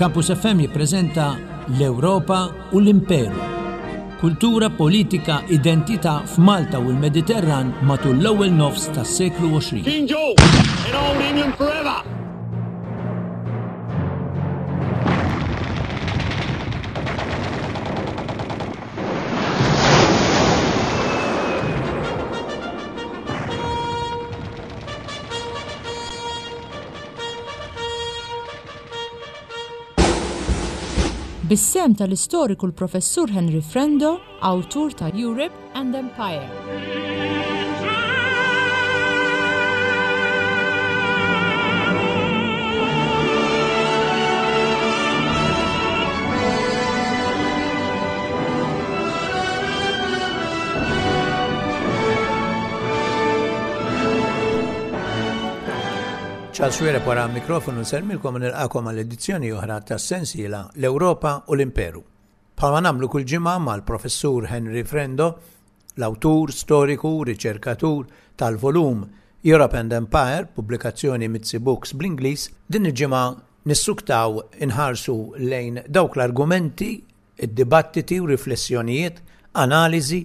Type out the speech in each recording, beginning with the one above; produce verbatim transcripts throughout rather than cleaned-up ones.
Campus F M jippreżenta L-Ewropa u l-Imperu. Kultura, politika, identità f'Malta u l-Mediterran matul l-ewwel nofs tas-seklu għoxrin. King George in Old England forever! Bis-sehem tal-istoriku l-Professur Henry Frendo, awtur ta' Europe and Empire. Charles Xuereb wara mikrofonu nsellmilkom u nilqakom għal edizzjoni oħra tas-sensiela L-Ewropa u l-Imperu. Bħalma nagħmlu kull ġimgħa mal-Professur Henry Frendo, l-awtur, storiku, riċerkatur tal-volum Europe and Empire, pubblikazzjoni Mizzi Books bl-Ingliż, din il-ġimgħa nissuktaw inħarsu lejn dawk l-argumenti, id-dibattiti u riflessjonijiet, analiżi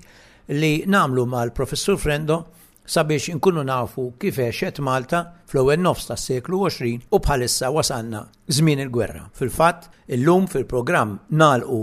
li nagħmlu mal-Professur Frendo sabiex inkunu nafu kif għexet Malta fl-ewwel nofs tas-seklu għoxrin u bħalissa wasalna żmien il-gwerra. Fil-fatt, illum fil-programm nagħlqu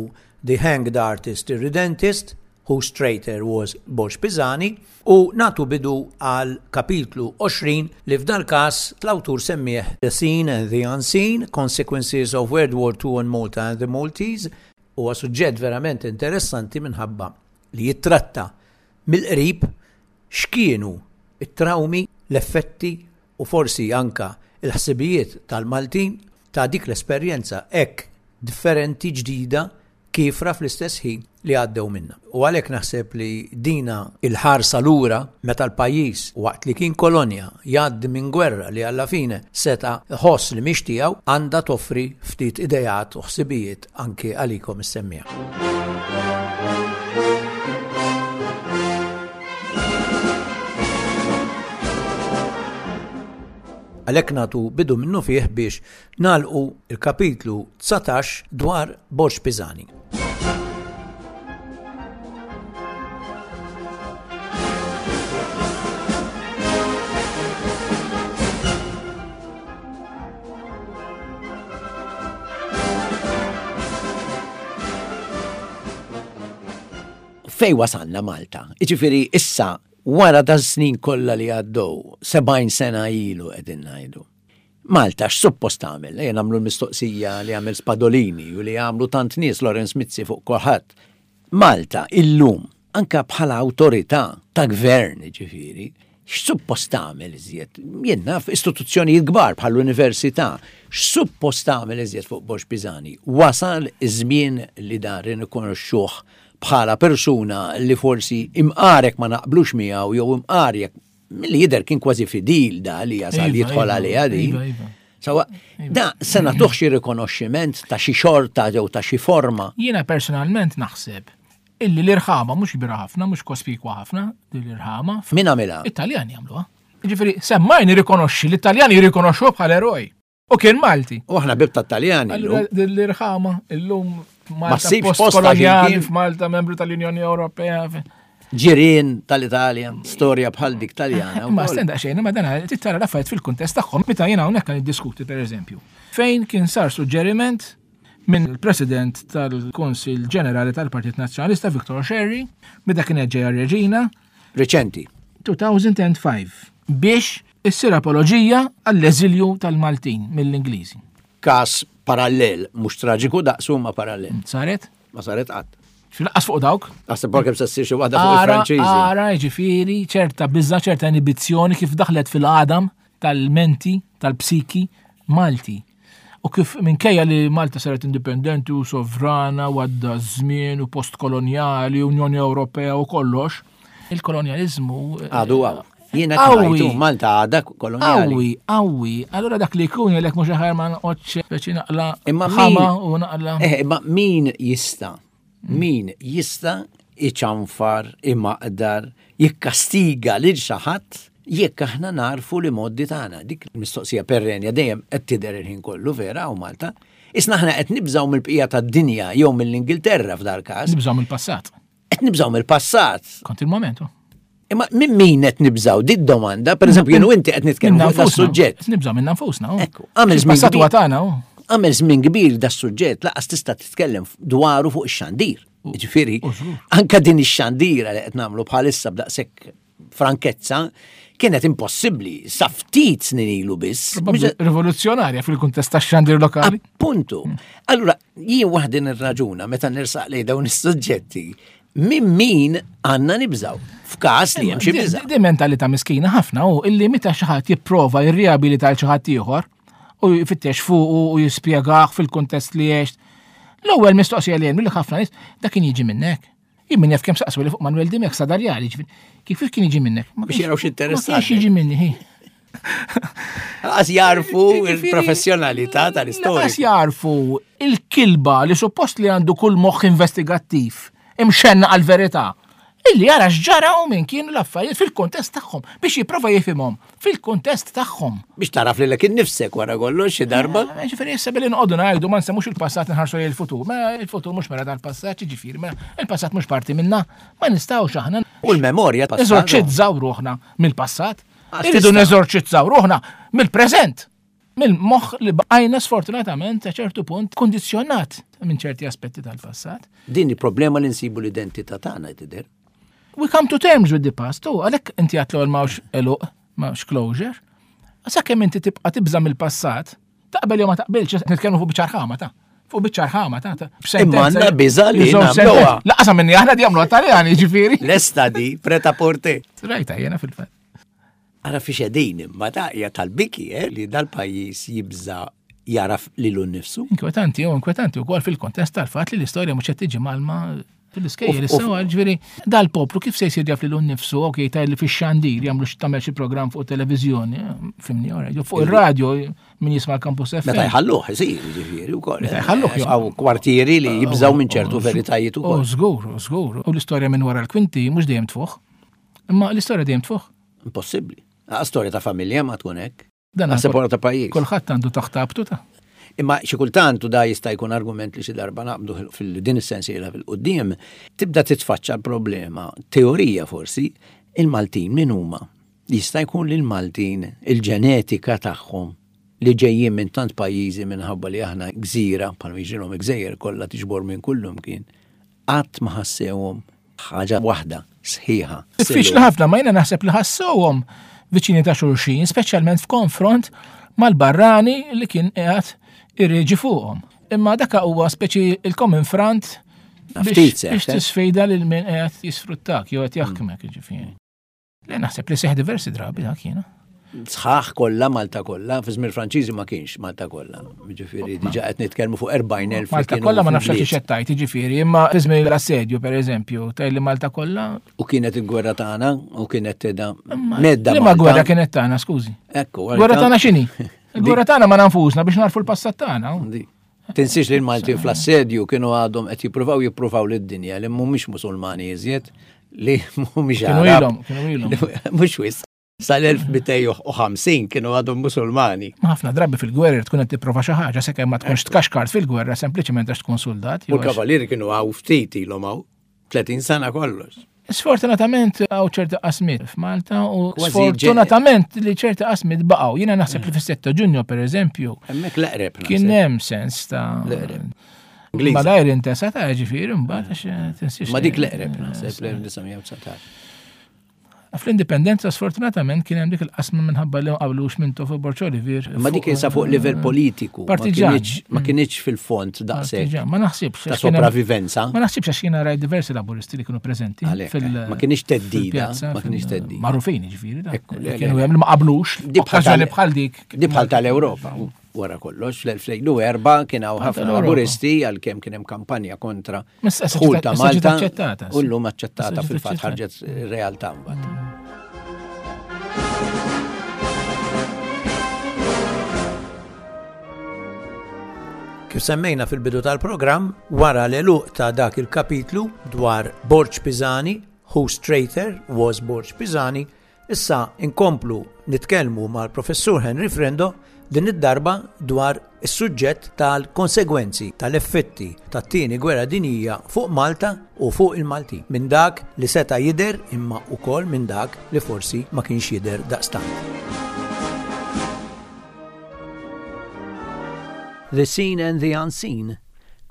The Hanged Artist Irredentist, whose traitor was Borg Pisani, u natu bidu għal kapitlu għoxrin li f'dal każ l-awtur semmih The Seen and the Unseen, Consequences of World War Two on Malta and the Maltese. Huwa suġġett verament interessanti minħabba li jittratta mill-qrib x'kienu it-trawmi, l-effetti u forsi anka il-ħsibijiet tal-Maltin ta' dik l-esperjenza hekk differenti, ġdida, kiefra fl-istess ħin li għaddew minna. U għalhekk naħseb li dina il-ħarsa lura meta l-pajjiż waqt li kien kolonja jgħaddi minn gwerra li alla fine seta' ħoss li mhix tiegħu, għandha toffri ftit idejat u ħsibijiet anke għalikom is-semmiegħa. Għalhekk nagħtu bidu minnu fih biex nagħlqu il-kapitlu dsatax dwar Borg Pisani. Fej wasalna Malta? Iġifieri issa wara da snin kollha li għaddew, sebgħin sena ilu qegħdin ngħidu. Malta x'suppost tagħmel? Ejja nagħmlu l-mistoqsija li għamel Spadolini u li għamlu tant nies, Lawrence Mizzi fuq kulħadd. Malta illum anka bħala awtorità ta' gvern, ġifieri, x'suppost tagħmel iżjed? Jien naf istituzzjonijiet kbar bħall-università, x'suppost tagħmel iżjed fuq Borg Pisani? Wasal iż-żmien li dan rikonoxxuh bħala persuna li forsi imqarek ma naqblux miegħu jew imqarek milli jidher kien kważi fidil da li jasal Iva, jidħol iva, għaliha din. Iva, iva. Sawa, Iva. da se nagħtuh xi rikonoxximent ta' xi xorta jew ta' xi forma. Jiena personalment naħseb illi l-irħama mhux kbira ħafna, mhux kospikwa ħafna din l-irħama. Min għamilha? Italjani jagħmluha. Jiġifieri semmajn jirrikonoxxi, l-Italjani jirrikonoxxuh bħala eroj. U kien Malti. U aħna bib tat-Taljani Allura llum. din l-irħama illum Ma Malta ssibx posta postkolonjali, x'imkien. f'Malta membru tal-Unjoni Ewropea. Ġirien tal-Italja, storja bħal dik Taljana Ma wkoll. stenda xejn, ma dan tittara l-affarijiet fil-kuntest tagħhom meta jiena hawnhekk kan niddiskuti pereżempju. Fejn kien sar suġġeriment minn il-President tal-Kunsill Ġenerali tal-Partit Nazzjonalista Viktor Scerri, meta kienet ġejja Reġina Reċenti. two thousand and five, biex issir apoloġija għall-eżilju tal-Maltin mill-Ingliżi. Kas parallel, mhux traġiku daqsu ma parallel. Saret? Ma saret qatt. Fil-qas fuq dawk? Għasib porkem se ssir xi waħda fuq Ara, il-Franċiżi. ara, ġifieri, ċerta biża, ċerta inibizzjoni kif daħlet fil-qadam tal-menti, tal-psiki Malti. U kif minkejja li Malta saret indipendenti u sovrana u għadda żmien u postkolonjali, Unjoni Ewropea u kollox, il-kolonjalizmu eh, Għadu għaw. Jiena Qawwi. ngħidu Malta għadha kolonjali. Qawwi, qawwi. Allura dak li jkun jgħidlek mhux aħjar ma noqgħodx speċi naqla Imma min- ħama u naqla. Eh, imma min jista'? Min jista' iċanfar, imaqdar, jikkastiga lil xi ħadd jekk aħna narfu li moddi tagħna? Dik il-mistoqsija perrenja dejjem qed tidher il-ħin kollu vera u Malta. Isna aħna qed nibżgħu mill-bqija tad-dinja jew mill-Ingilterra f'dal każ. Nibżgħu mill-passat. Qed nibżgħu mill-passat. Kont il-momentu. Imma minn min qed nibżgħu? Di domanda, pereżempju jien u inti qed nitkellmu fuq das-suġġett. Nibżgħu minna nfusna. Ekku, għamel żmien Passat huwa kbir. tagħna. Għamel żmien kbir das-suġġett laqas tista' titkellem dwaru fuq ix-xandir. Ġifieri, u żgur. anka din ix-xandira li qed nagħmlu bħalissa b'daqshekk frankezza kienet impossibbli sa ftit snin ilu biss. Probabbli rivoluzzjonarja fil-kuntest tax-xandir lokali. Appuntu. Allura, jien waħdi nirraġuna meta nirsaq lejn dawn is-suġġetti, minn min għandna nibżaw f'każ li hemm xi Di- biża'. Di mentalità miskina ħafna u illi meta xi ħadd jipprova jirriabilita l xi ħadd ieħor u jfittex fuq u jispjegah fil-kuntest li għext. L-ewwel mistoqsija li hemm li ħafna nies dak kien jiġi minnek. Jien min jaf kemm saqsu li fuq Manuel Dimek Sadarjali, ġifieri, kif kien jiġi minnek? Ma Biex kienx- jaraw x'interessat. Ma kienx jiġi minni. hi. Għas jarfu Ġifieri, il-professjonalità Laqas tal-istorja. jarfu il-kilba li suppost li għandu kull moħħ investigattiv imxenna għal-verità. Illi jara x'ġara u minn kienu l-affarijiet fil-kontest tagħhom biex jipprova jifhimhom fil-kontest tagħhom. Biex taraf li l nifsek wara kollox xi darba. Eh, Ġifieri issa billi nqogħdu ngħidu ma nsemmux il-passat nħarsu lejn il-futur. Ma il-futur mhux mera tal-passat, ġifieri, mela il-passat mhux parti minna, ma nistgħux aħna U l-memorja passat. neżorċizzaw ruħna mill-passat. Għax Irridu tista'. neżorċizzaw ruħna mill-preżent. Mill-moħħ li bqajna sfortunatament a ċertu punt kondizzjonat minn ċerti aspetti tal-passat. Din il-problema li nsibu l-identità tagħna tidher. We come to terms with the past, u għalhekk inti għatlu għal mawx eluq, mawx closure. Sakemm inti tibqa' tibża' mill-passat, taqbel jew ma taqbilx, nitkellmu fuq biċċa rħama ta' fuq biċċa rħama ta' ta' Imma għandna biża' li Żewġ nagħmluha. sentenzi. Laqasa minni aħna di għamlu Taljani, ġifieri. Lesta di preta porte. Rajta jena fil-fatt. Ara fi xedin imma ta' hija tal-biki eh, li dal-pajjiż jibża jaraf lilu nnifsu. Inkwetanti, u inkwetanti wkoll fil-kontest tal-fatt li l-istorja mhux qed tiġi malma fil-iskejjel Uf, uf. issa ġifieri dal-poplu kif se jsir jaf lilu nnifsu, okej taj li fix-xandir jagħmlu xi tagħmel xi programm fuq televiżjoni, eh, fimni ora, jew fuq ir-radio min jisma' l-Campus F M. Meta jħalluh isir, ġifieri wkoll. Meta jħalluh, jo. Hawn kwartieri li jibżaw minn ċertu veritajiet U ukoll. żgur, żgur. U l-istorja minn wara l-kwinti mhux dejjem tfuħ. Imma l-istorja dejjem tfuħ. Impossibbli. Ah, Storja ta' familja ma tkun hekk. Dan Naħseb wara ta' pajjiż. Kulħadd għandu taħt abtu ta' Imma xi kultant u da jista' jkun argument li xi darba naqbdu fil-din is-sensiela fil-qudiem, tibda titfaċċa l-problema, teorija forsi, il-Maltin min huma? Jista' jkun li l-Maltin il-ġenetika tagħhom li ġejjin minn tant pajjiżi minħabba li aħna gżira, bħalma jiġrilhom gżejjer kollha tiġbor minn kullum kien, qatt ma ħassewhom ħaġa waħda sħiħa. Diffiċli ħafna, ma jiena naħseb li ħassewhom viċini ta' xulxin, speċjalment f'konfront mal-barrani li kien qiegħed irreġi fuqhom. Imma daka huwa speċi il-common front Ftit biex seħħ, biex eh? tisfida lil min qiegħed jisfruttak jew qed jaħkmek jiġifieri. Le naħseb li seħ diversi drabi dak jiena. Sħaħ kollha Malta kollha, fi żmien Franċiżi ma kienx Malta kollha. Ġifieri diġà qed nitkellmu fuq erbgħin elf li Malta kienu kollha ma nafx fil-bliet. xi xettajt, jiġifieri, imma fi żmien l-assedju pereżempju, tgħid li Malta kollha. U kienet il-gwerra tagħna u kienet teda medda. Liema Malta. gwerra kienet tagħna, skużi. Ekku, Gwerra tagħna x'inhi? Il-gwerra tagħna ma nanfusna biex narfu l-passat tagħna. Di. Tinsiex li l-Maltin fl-assedju kienu għadhom qed jippruvaw jippruvaw lid-dinja li mhumiex Musulmani iżjed, li mhumiex Kienu Arab. ilhom, kienu ilhom. Mhux wis. Sal-elf mitejn u ħamsin kienu għadhom Musulmani. Ma ħafna drabi fil-gwerra tkun qed tipprova xi ħaġa sakemm ma tkunx tkaxkart fil-gwerra sempliċement għax tkun soldat. U jew għax- l-kavalieri kienu għaw ftit ilhom hawn, tletin sena kollox. Sfortunatament hawn ċerti qasmiet f'Malta u Kważi sfortunatament li ċerti qasmiet baqgħu. Jiena naħseb li fis-sitta Ġunju pereżempju Hemmhekk l-eqreb naħseb. kien hemm sens ta' L-eqreb. Ingliża. Malajr intesa ta' ġifieri mbagħad għax tinsiex. Ma dik l-eqreb naħseb l-elf disa' mija u dsatax. Fl-indipendenza sfortunatament kien hemm dik il-qasma minħabba li ma qablux minn Tofu Borg Olivier. Ma dik isa fuq livell politiku. Ma Partiġan. kienx- Ma kienx fil-fond daqshekk Partiġan, ma naħsibx. ta' għax kien hemm- sopravivenza. Ma naħsibx għax jiena rajt diversi laburisti li kienu preżenti. Għalhekk, fil- ma kienx teddida, fil-pjazza, ma kienx fil- teddida. Magħrufin ġifieri. da. Ekku, le, le. Kienu hemm li ma qablux. Di bħal Okkażjoni tal- bħal dik. Di bħal tal-Ewropa, u wara kollox, fl-elfejn u erba' kien hawn ħafna tal-Ewropa. laburisti għalkemm kien hemm kampanja kontra Ma issa ġiet- dħul ta' issa ġiet Malta aċċettata, u llum aċċettata Issa ġiet fil-fatt aċċettata. ħarġet realtà mbagħad. Kif semmejna fil-bidu tal-programm, wara l-eluq ta' dak il-kapitlu dwar Borg Pisani, whose traitor was Borg Pisani, Issa inkomplu nitkellmu mal-Professur Henry Frendo din id-darba dwar is-suġġett tal-konsegwenzi tal-effetti tat-tieni gwerra dinjija fuq Malta u fuq il-Maltin. Minn dak li seta' jidher imma wkoll minn dak li forsi ma kienx jidher daqstant. The Seen and the Unseen,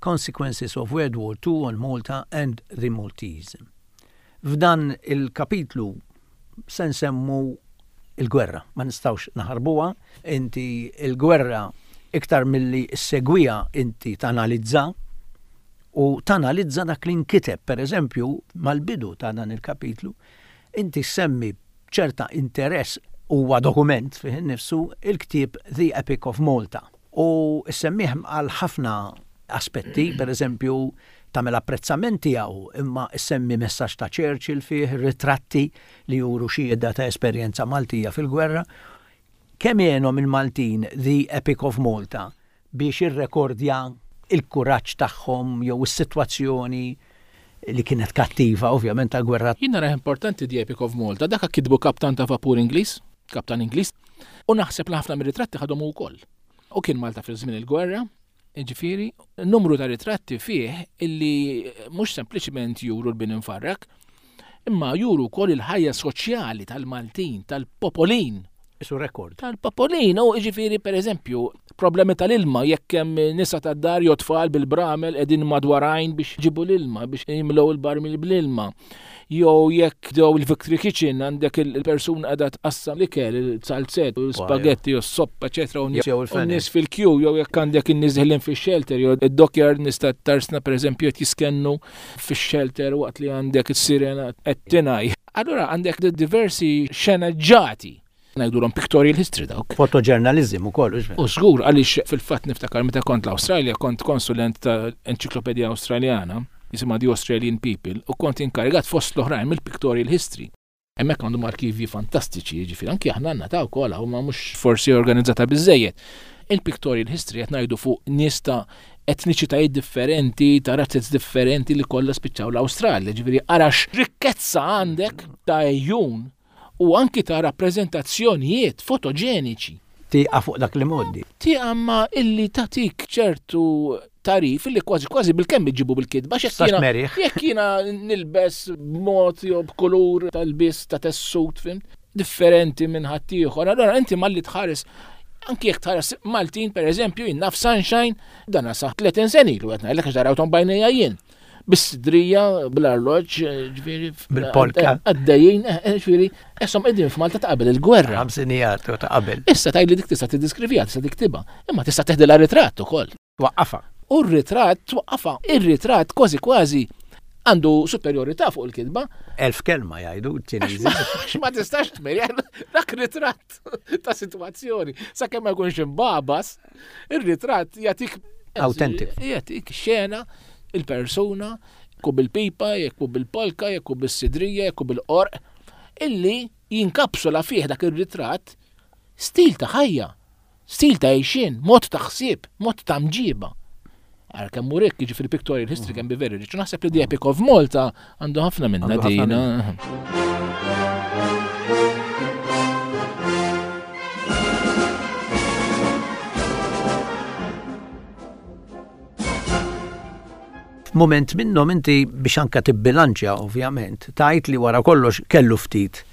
Consequences of World War Two on Malta and the Maltese. F'dan il-kapitlu se nsemmu il-gwerra, ma nistgħux naħarbuha, inti il-gwerra iktar milli ssegwiha inti tanalizza u tanalizza dak li nkiteb, per eżempju, mal-bidu ta' dan il-kapitlu, inti semmi ċerta interess huwa dokument fih innifsu il-ktieb The Epic of Malta. U semmih għal ħafna aspetti, per eżempju, tagħmel apprezzament tiegħu, imma semmi messaġġ ta' Churchill fih, ritratti li juru xhieda ta' esperjenza Maltija fil-gwerra. Kemm għenhom il-Maltin The Epic of Malta biex irrekordja il-kuraġġ tagħhom jew is-sitwazzjoni li kienet kattiva ovvjament tal-gwerra. Jien nara importanti The Epic of Malta, dak kitbu kaptan ta' vapur Ingliż, kaptan Ingliż, u naħseb li ħafna mir-ritratti ħadhom ukoll. U kien Malta fi żmien il-gwerra, ġifieri, numru ta' ritratti fih illi mhux sempliċement juru l-bin infarrak, imma juru wkoll il-ħajja soċjali tal-Maltin, tal-popolin. Isu rekord. Tal-popolin, u ġifieri per eżempju, problemi tal-ilma, jekk hemm nisa tad-dar jew tfal bil-bramel qegħdin madwar għajn biex ġibu l-ilma, biex jimlew il-barmil bl-ilma. Jew jekk dew il-Victory Kitchen għandek il-persuna qiegħda tqassam l-ikel, il-salzett, u l-spaghetti, u s-soppa, eċetera, u Jew il-fenek. nies fil-kju, jew jekk għandek in-nies deħlin fix-shelter, jew id-dockyard nies ta' tarsna pereżempju qed jiskennu fix-shelter waqt li għandek is-sirena qed tingħaj. Allura għandek diversi xenaġġati. Ngħidulhom pictorial history dawk. Fotoġurnalizm ukoll, hux vera? U żgur, għaliex fil-fatt niftakar meta kont l-Awstralja, kont konsulent ta' Enċiklopedija Awstraljana, jisimha The Australian People, u kont inkarigat fost l-oħrajn mill-pictorial history. Hemmhekk għandhom arkivji fantastiċi, jiġifieri anki aħna għandna ta' wkoll, huma mhux forsi organizzata biżżejjed. Il-pictorial history qed ngħidu fuq nies ta' etniċitajiet differenti, ta' razzez differenti li kollha spiċċaw l-Awstralja, ġifieri arax rikkezza għandek ta' ejjun u anki ta' rappreżentazzjonijiet fotoġeniċi. Tieqa fuq dak li modi. Tieqa ma illi tatik ċertu tarif illi kważi kważi bil-kemm iġibu bil-kitba, għax jekk Sax jiena merih. jekk jiena nilbes b'mod jew b'kulur tal-biss ta' tessut, fim, differenti minn ħaddieħor. Allora inti malli tħares, anki jekk tħares Maltin per eżempju, jien naf Sunshine, dan sa tletin sena ilu qed ngħidlek għax darawthom bajnejja jien. Bis-sidrija, bl-arloġġ, ġifieri, Bil-polka. Għaddejjin, eh, eh, ġifieri, esom qegħdin f'Malta ta' qabel il-gwerra. Ħamsinijat u ta' qabel. Issa tgħidli dik tista' tiddiskrivija, tista' tiktibha, imma tista' teħdilha ritratt ukoll. Twaqqafha. U r-ritratt twaqqafha. Ir-ritratt kważi kważi għandu superjorità fuq il-kitba. Elf kelma jgħidu ċ-Ċiniżi. Għax ma tistax tmeri, dak ritratt ta' sitwazzjoni. Sakemm ma jkunx imbabas, ir-ritratt jagħtik Authentic. Jagħtik xena, il-persuna, jekk hu bil-pipa, jekk hu bil-polka, jekk hu bis-sidrija, jekk hu bil-qorq, illi jinkapsula fih dak ir-ritratt stil ta' ħajja, stil ta' għejxien, mod ta' ħsieb, mod ta' mġiba. Għar kemm hu rikk, jiġifieri pictorial history can be very rich. U naħseb li The Epic of Malta għandu ħafna minna Għandu ħafna dina. minna. F'mument minnhom inti biex anka tibbilanċja ovvjament, tajt li wara kollox kellu ftit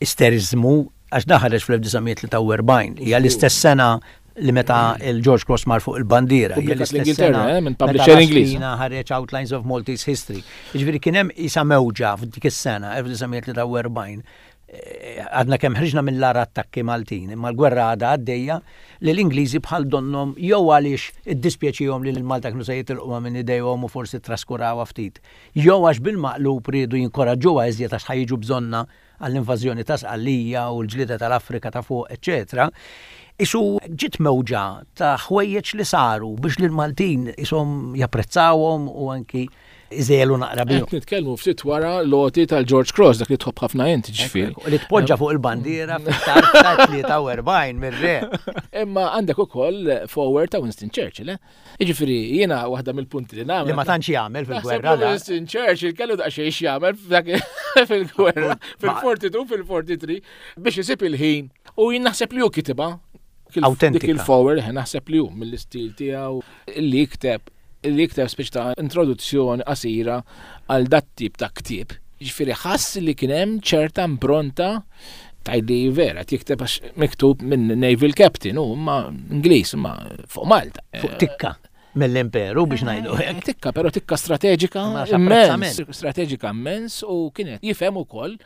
isterizmu għax daħareġ fl-elf disa' mija tlieta u erbgħin, hija l-istess sena li meta il-George Cross mar fuq il-bandiera, hija Pubblikat l-istess l-Ingilterra, sena eh, minn meta publisher Ingliż. Laspina ħareġ Outlines of Maltese History. Jiġifieri kien hemm isa mewġa f'dik is-sena, elf disa' mija tlieta u erbgħin, eh, għadna kemm ħriġna mill-ara attakki Maltin, imma l-gwerra għadha għaddejja li l-Ingliżi bħal donnom jew għaliex iddispjaċihom li l-Malta kienu se jitilquha minn idejhom u forsi traskurawha ftit, jew għax bil-maqlub riedu jinkoraġġuha iżjed għax ħajġu bżonna għall-invażjoni ta' Sqallija u l-ġlieda tal-Afrika ta' fuq, eċċetera. Isu ġiet mewġa ta' ħwejjeġ li saru biex lil Maltin ishom japprezzawhom u anki iżelu naqra bihom. Qed nitkellmu ftit wara l-għoti tal-George Cross, dak li tħobb ħafna inti ġifieri. Li tpoġġa fuq il-bandiera fit-tarf ta' tlieta u erbgħin mir-re. Imma għandek ukoll forward ta' Winston Churchill, eh? Jiġifieri jiena waħda mill-punti li nagħmel. Li ma tantx jagħmel fil-gwerra. Winston Churchill kellu daqsxejn x'jagħmel fil-gwerra, fil-forty-two, fil-forty-three, biex isib il-ħin. U jien naħseb li hu kitibha. Autentika. Dik il-forward, naħseb li hu mill-istil tiegħu li jikteb li jikteb speċi ta' introduzzjoni qasira għal dat tip ta' ktieb. Ġifieri ħass li kien hemm ċerta impronta tajli vera, jikteb għax miktub minn Naval Captain, u ma Ingliż, ma fuq Malta. Fuq tikka mill-imperu biex ngħidu hekk. Tikka, però tikka strateġika immens, strateġika immens, u kienet jifhem ukoll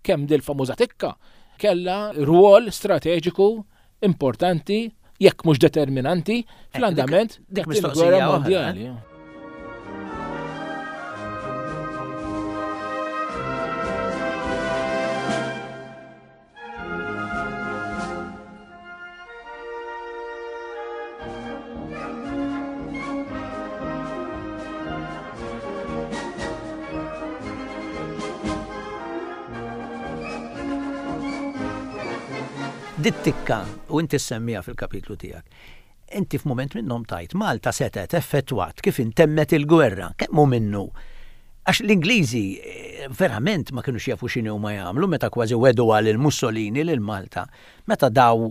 kemm dil-famuża tikka kellha rwol strateġiku importanti, jekk mhux determinanti, fl-andament dik dik gwerra mondjali. Dit-tikka, u inti semmija fil-kapitlu tiegħek, inti f'mument minnhom tajt Malta setgħet effettwat kif intemmet il-gwerra, kemm hu minnu? Għax l-Ingliżi verament ma kinux jafu x'inhu ma jagħmlu meta kważi wedu għal il-Mussolini lil Malta, meta daw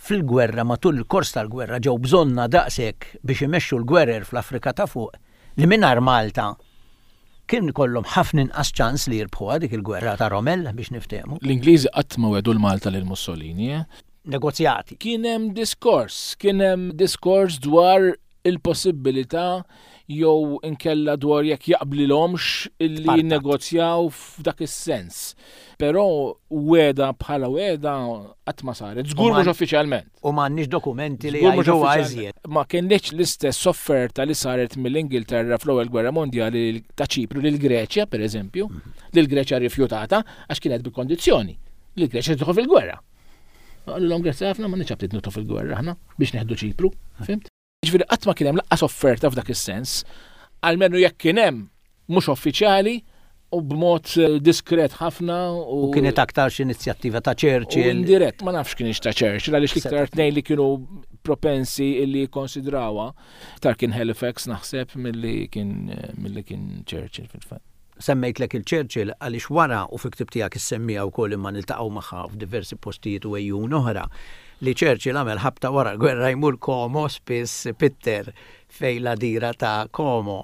fil-gwerra matul il-kors tal-gwerra ġew bżonna daqshekk biex imexxu l-gwerer fl-Afrika ta' fuq li mingħajr Malta kien kollhom ħafna inqas ċans li jirbħuha dik il-gwerra ta' Rommel biex niftehmu. L-Ingliżi qatt ma wedu l-Malta lil Mussolini, eh? Negozjati. Kien hemm diskors, kien hemm diskors dwar il-possibilità jew inkella dwar jekk jaqblilhomx illi jinnegozjaw f'dak is-sens. Però weda bħala weda qatt ma saret, żgur mhux uffiċjalment. U m'għandniex dokumenti li jgħidu iżjed. Ma kienx l-istess offerta li saret mill-Ingilterra fl-ewwel Gwerra Mondjali ta' Ċipru lil Greċja, pereżempju, li l-Greċja rrifjutata għax kienet bil-kondizzjoni li l-Greċja tidħol fil-gwerra. Qalulhom grazzi ħafna ma nix aptit nidħol fil-gwerra aħna biex neħdu Ċipru, fimt? Ġifieri qatt ma kien hemm laqqas offerta f'dak is-sens, almenu jekk kien hemm mhux uffiċjali u b'mod diskret ħafna. U kienet aktar xi inizjattiva ta' Churchill. Indirett, ma nafx kienx ta' Churchill, għaliex l-iktar tnejn li kienu propensi illi jikkonsidrawha, iktar kien Halifax naħseb milli kien milli kien Churchill fil-fatt. Semmejtlek il-Churchill għaliex wara u fi ktib tiegħek issemmija wkoll imma niltaqgħu magħha f'diversi postijiet u ejjun oħra li Churchill għamel ħabta wara l-gwerra jmur Como spiss Pitter fej la dira ta' Como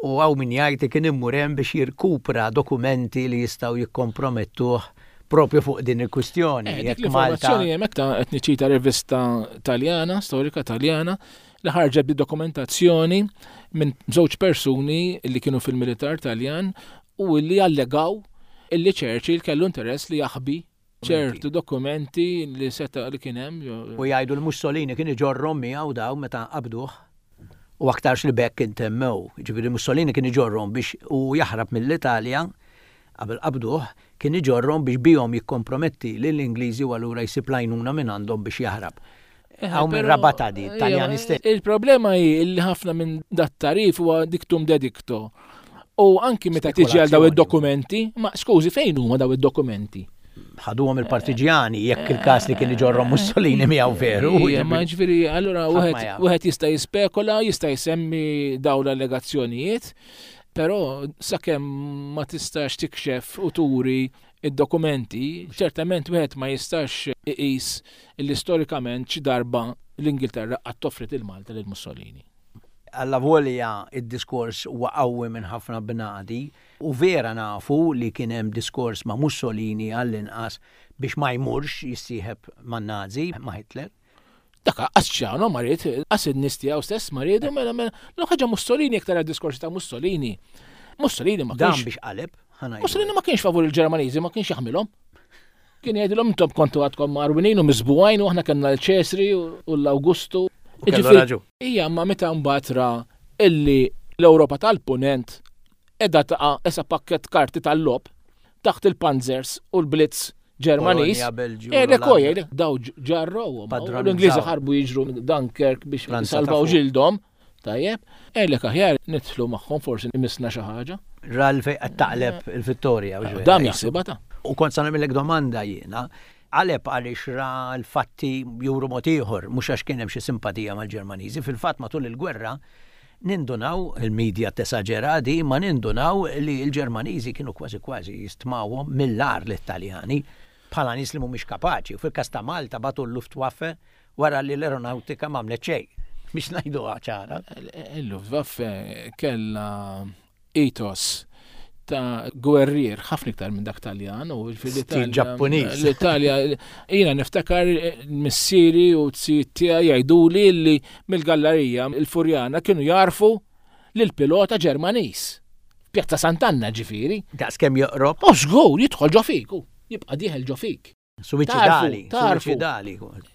u hawn min jgħid kien immur hemm biex jirkupra dokumenti li jistgħu jikkompromettuh propju fuq din il-kwistjoni. Dik l-informazzjoni hemmhekk ta' qed niċċita rivista Taljana, storika Taljana, li ħarġet bid-dokumentazzjoni minn żewġ persuni li kienu fil-militar Taljan u li allegaw illi Churchill kellu interess li jaħbi ċertu dokumenti li seta' li kien hemm. U jgħidu l-Mussolini kien iġorrhom miegħu daw meta qabduh u aktarx li bekk intemmew. Ġifieri Mussolini kien iġorrhom biex u jaħrab mill-Italja qabel qabduh, kien iġorrhom biex bihom jikkomprometti lill-Ingliżi u allura jsib l-għajnuna minn għandhom biex jaħrab. Hawn minn rabata di, Taljani stess. Il-problema hi li ħafna minn dat tarif huwa dictum de dicto. U anki meta tiġi għal daw id-dokumenti, ma skużi fejn huma daw id-dokumenti? Ħaduhom il-partiġjani jekk il-każ li kien iġorrhom Mussolini miegħu veru. Ma ġifieri allura wieħed jista' jispekola, jista' jsemmi dawn l-allegazzjonijiet, però sakemm ma tistax tikxef u turi id-dokumenti, ċertament wieħed ma jistax iqis li storikament xi darba l-Ingilterra qatt toffrit il-Malta lil Mussolini. Alla volja id-diskors huwa qawwi minn ħafna bnadi u vera nafu li kien hemm diskors ma' Mussolini għall-inqas biex ma jmurx jissieħeb man-Nazi, ma' Hitler. Dak qas ċano ma ried, qas in-nies tiegħu stess ma riedu, mela mela l ħaġa Mussolini iktar għad-diskorsi ta' Mussolini. Mussolini ma kienx. Dan biex qaleb, ħana. Mussolini ma kienx favur il-Ġermaniżi, ma kienx jaħmilhom. Kien jgħidilhom intom kontu għadkom marwinin u miżbugħin u aħna kellna l-Ċesri u l-Awgustu. Ija, ma meta mbagħad ra illi l-Ewropa tal-Punent qiegħda taqa' esa pakket karti tal-lob taħt il-Panzers u l-Blitz Ġermaniż. Eh, daw ġarrowhom. L-Ingliżi ħarbu jiġru Dunkirk biex salvaw ġildhom. Tajjeb, għalhekk aħjar nidħlu magħhom forsi imissna xi ħaġa. Ra fejn qed taqleb il-Vittoria. Dam jaħsibha ta'. U kont sa nagħmellek domanda jiena. Qaleb għaliex ra l-fatti juru mod ieħor, mhux għax kien hemm xi simpatija mal-Ġermaniżi. Fil-fatt matul il-gwerra nindunaw, il-medja tesaġera di, ma nindunaw li l-Ġermaniżi kienu kważi kważi jistmawhom mill-agħar l-Italjani bħala nies li mhumiex kapaċi. U fil-każ ta' Malta bagħtu l-Luftwaffe wara li l-aeronautika m'għamlet xejn. Biex ngħiduha ċara. Il-Luftwaffe kellha ethos ta' gwerrier ħafna iktar minn dak Taljan u Stil Ġappuniż. L-Italja, jiena niftakar missieri u z-zijiet tiegħi jgħiduli li mill-gallerija il-Furjana kienu jarfu lil pilota Ġermaniż. Pjazza Sant'Anna ġifieri. Daqs kemm joqrob. U żgur jidħol ġo fik, u jibqa' dieħel ġo fik. Suwiċidali, Tarfu. suwiċidali.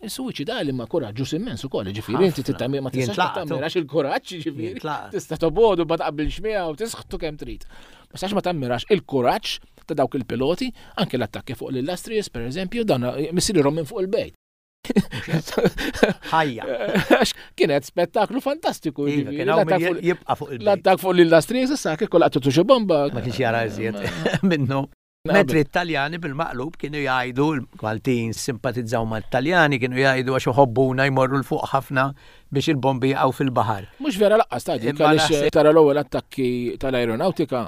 Suwiċidali ma kuraġġuż immens ukoll, ġifieri inti Ħafna. tittamir ma tistax Jintlaqtu. tammirax il-kuraġġ, ġifieri. Jintlaqtu. Tista' tobodu ma taqbilx miegħu tisħtu kemm trid. Ma sax ma tammirax il-kuraġġ ta' dawk il-piloti, anke l-attakki fuq l-Illustrious, per eżempju, dan missierhom minn fuq il-bejt. Ħajja. Għax kienet spettaklu fantastiku. Iva, ġifieri, kien hawn l-attakk min fuq- jibqa' fuq il-bejt. L-attakk fuq l-Illustrious, issa kieku laqtu xi bomba. Ma kienx jara iżjed minnu. Mentri Italjani bil-maqlub kienu jgħidu, l-Maltin simpatizzaw mal-Taljani, kienu jgħidu għax iħobbuna jmorru 'l fuq ħafna biex il-bombi jaqgħu fil-baħar. Mhux vera lanqas ta' dik Imma għaliex naħseb- tara l-ewwel attakki tal-aeronautika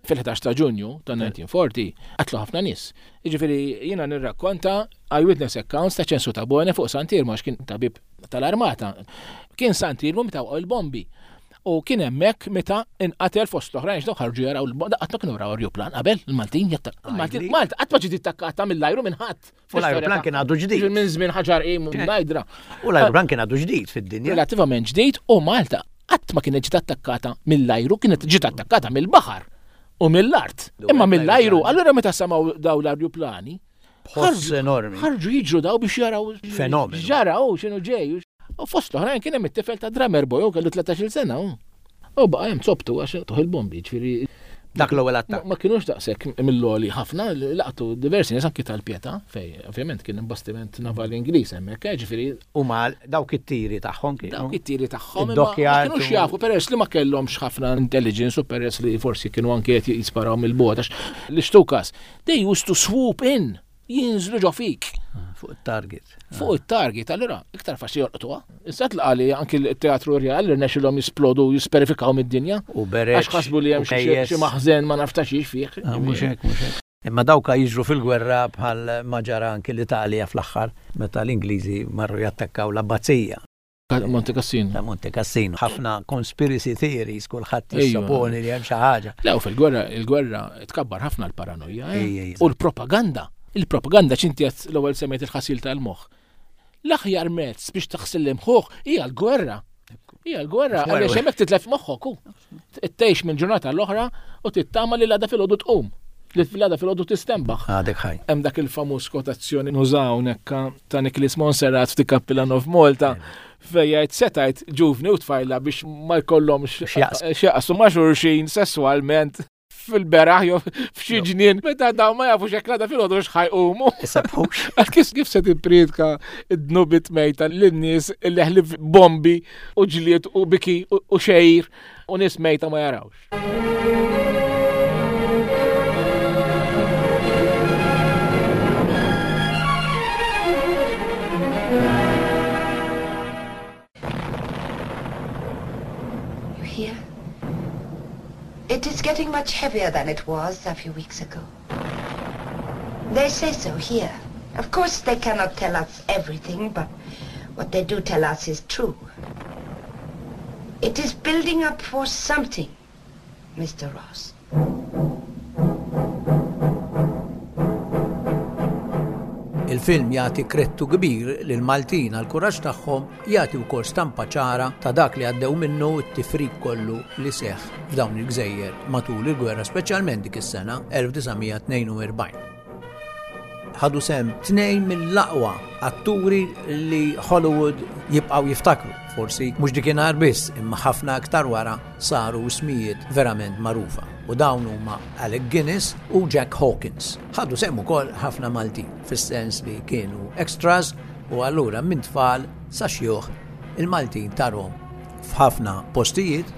fil-ħdax ta' Ġunju ta' elf disa' mija u erbgħin qatlu ħafna nies. Jiġifieri jiena nirrakkonta eyewitness accounts ta' Ċensu Tabone fuq Sant'Iermu għax kien tabib tal-armata. Kien Sant'Iermu meta waqgħu il-bombi. U kien hemmhekk meta inqatel fost l-oħrajn x'daw ħarġu jaraw il-bomba, qatt ma kienu raw ajruplan qabel il-Maltin jatta. Il-Maltin Għajli. Malta qatt ma ġiet attakkata mill-ajru minn ħadd. U l-ajruplan kien għadu ġdid. Minn żmien Ħaġar Qim u Mnajdra. U l-ajruplan kien għadu ġdid fid-dinja. Relattivament ġdid u Malta qatt ma kienet ġiet attakkata mill-ajru, kienet ġiet attakkata mill-baħar u mill-art. Imma mill-ajru, allura meta samaw daw l-ajruplani, B'ħoss enormi. ħarġu jiġru daw biex jaraw Fenomenu. Ġaraw x'inhu ġej. U fost l-oħrajn kien hemm it-tifel ta' drummer boy, u kellu tlettax-il sena. U U baqa' hemm zobtu għax tuħ il-bombi, ġifieri Dak l-ewwel ma attakk. ma kienux daqshekk mill-għoli ħafna, laqtu diversi nies anki tal-Pietà, fej ovvjament kien hemm bastiment navali Ingliż hemmhekk, eh, ġifieri U mal dawk it-tiri tagħhom kienu. dawk it-tiri tagħhom imma ma Id-dockyard kienux u- jafu peress li ma kellhomx ħafna intelligence u peress li forsi kienu anke qed jisparaw mill-bogħod għax l-Stukas they used to swoop in, jinżlu ġo fik Fuq it-target. fuq it-target, allura iktar faċli jolqtuha. Issa tlaqa li anki l-Teatru Rjal rnexxilhom jisplodu jisperifikaw mid-dinja. U bereġ. Għax ħasbu li hemm u xi kejjes. xi maħżen ma naftax fih. Ah, Mhux hekk, mhux hekk. Imma dawka jiġru fil-gwerra bħal ma ġara anki l-Italja fl-aħħar meta l-Ingliżi marru jattakkaw l-Abbazija Monte Cassino. ta' Monte Cassino. Ħafna conspiracy theories, kulħadd Ejwa. jissoponi li hemm xi ħaġa. Le, u fil-gwerra, il-gwerra tkabbar ħafna l-paranoja. eh? Ej, ej, U l-propaganda. Il-propaganda ċinti għat l-ewwel semmejt il-ħasil tal-moħħ. L-aħjar mezz biex taħsil l-imħuħ hija l-gwerra. Hija l-gwerra, Gwerra. għaliex hemmhekk titlef moħħok hu. Tgħix minn ġurnata l-oħra u tittama li l-għada filgħodu tqum. Li l-għada filgħodu tistenbaħ. Għadek ħaj. Hemm dak il-famuż kwotazzjoni nużaw nekka ta' Nicholas Monserrat f'The Cappillan of Malta fejn jgħid setajt ġuvni u tfajla biex ma jkollhomx X'jaqsmu. x'jaqsmu ma' xulxin sesswalment fil-beraħ jew f'xi ġnien meta dawn ma jafux hekk l-għada filgħodu x'ħa jqumu. Isabħux. Għal kif kif se tippriedka id-dnubiet mejta lin-nies illi ħlief bombi u ġlied u biki u u xejr u nies mejta ma jarawx. You hear? It is getting much heavier than it was a few weeks ago. They say so here. Of course, they cannot tell us everything, but what they do tell us is true. It is building up for something, Mister Ross. Il-film jagħti krettu kbir lil Maltin għal kuraġġ tagħhom, jagħti wkoll stampa ċara ta' dak li għaddew minnu t-tifrik kollu li seħħ f'dawn il-gżejjer matul il-gwerra, speċjalment dik is-sena elf disa' mija tnejn u erbgħin. Ħadu sehem tnejn mill-aqwa atturi li Hollywood jibqgħu jiftakru. Forsi mhux dikinhar biss, imma ħafna aktar wara saru ismijiet verament magħrufa. U dawn huma Alec Guinness u Jack Hawkins. Ħadu sehem ukoll ħafna Maltin, fis-sens li kienu extras u allura minn tfal sa xjuħ il-Maltin tarhom f'ħafna postijiet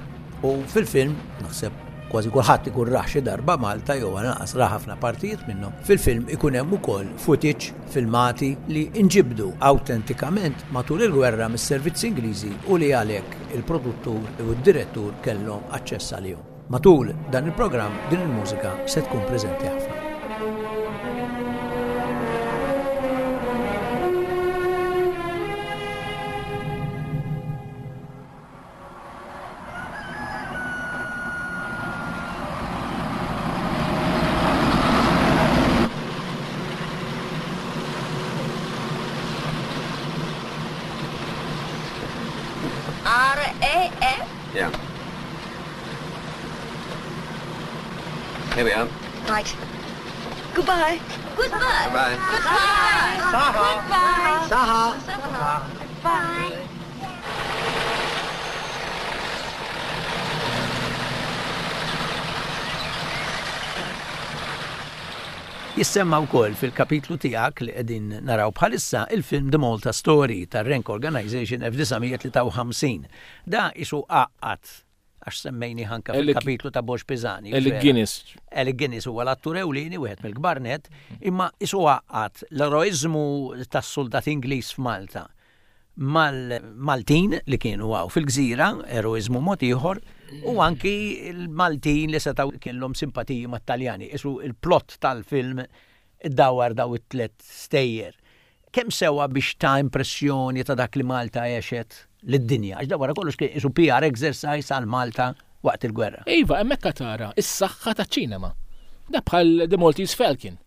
u fil-film naħseb kważi kulħadd ikun raħ xi darba Malta jew anqas ra ħafna partijiet minnhom. Fil-film ikun hemm ukoll footage, filmati li inġibdu awtentikament matul il-gwerra mis-servizzi Ingliżi u li għalhekk il-produttur u d-direttur kellhom aċċess għalihom. Matul dan il-programm din il-mużika se tkun preżenti ħafna. R A F? Yeah. Here we are. Right. Goodbye. Goodbye. Goodbye. Goodbye. Goodbye. Saha! Bye. Jissemma wkoll fil-kapitlu tiegħek li qegħdin naraw bħalissa il-film The Malta Story tar-Rank Organization elf disa' mija tlieta u ħamsin. Da isu għaqqad għax semmejni ħanka Alec fil-kapitlu ta' Borg Pisani. Alec Guinness. Alec Guinness huwa l-attur ewlieni wieħed mill-kbar net, imma isu għaqqad l-eroiżmu tas-soldat Ingliż f'Malta mal-Maltin li kienu għaw fil-gżira, eroiżmu mod ieħor, u anki l-Maltin li setgħu kellhom simpatiji mat-Taljani. Isu il-plot tal-film iddawar daw it-tlet stejjer. Kemm sewa biex ta' impressjoni ta' dak li Malta għexet lid-dinja? Għax da wara kollox kien isu P R exercise għal Malta waqt il-gwerra. Iva, hemmhekk tara is-saħħa taċ-ċinema. Da bħal The Maltese Falcon.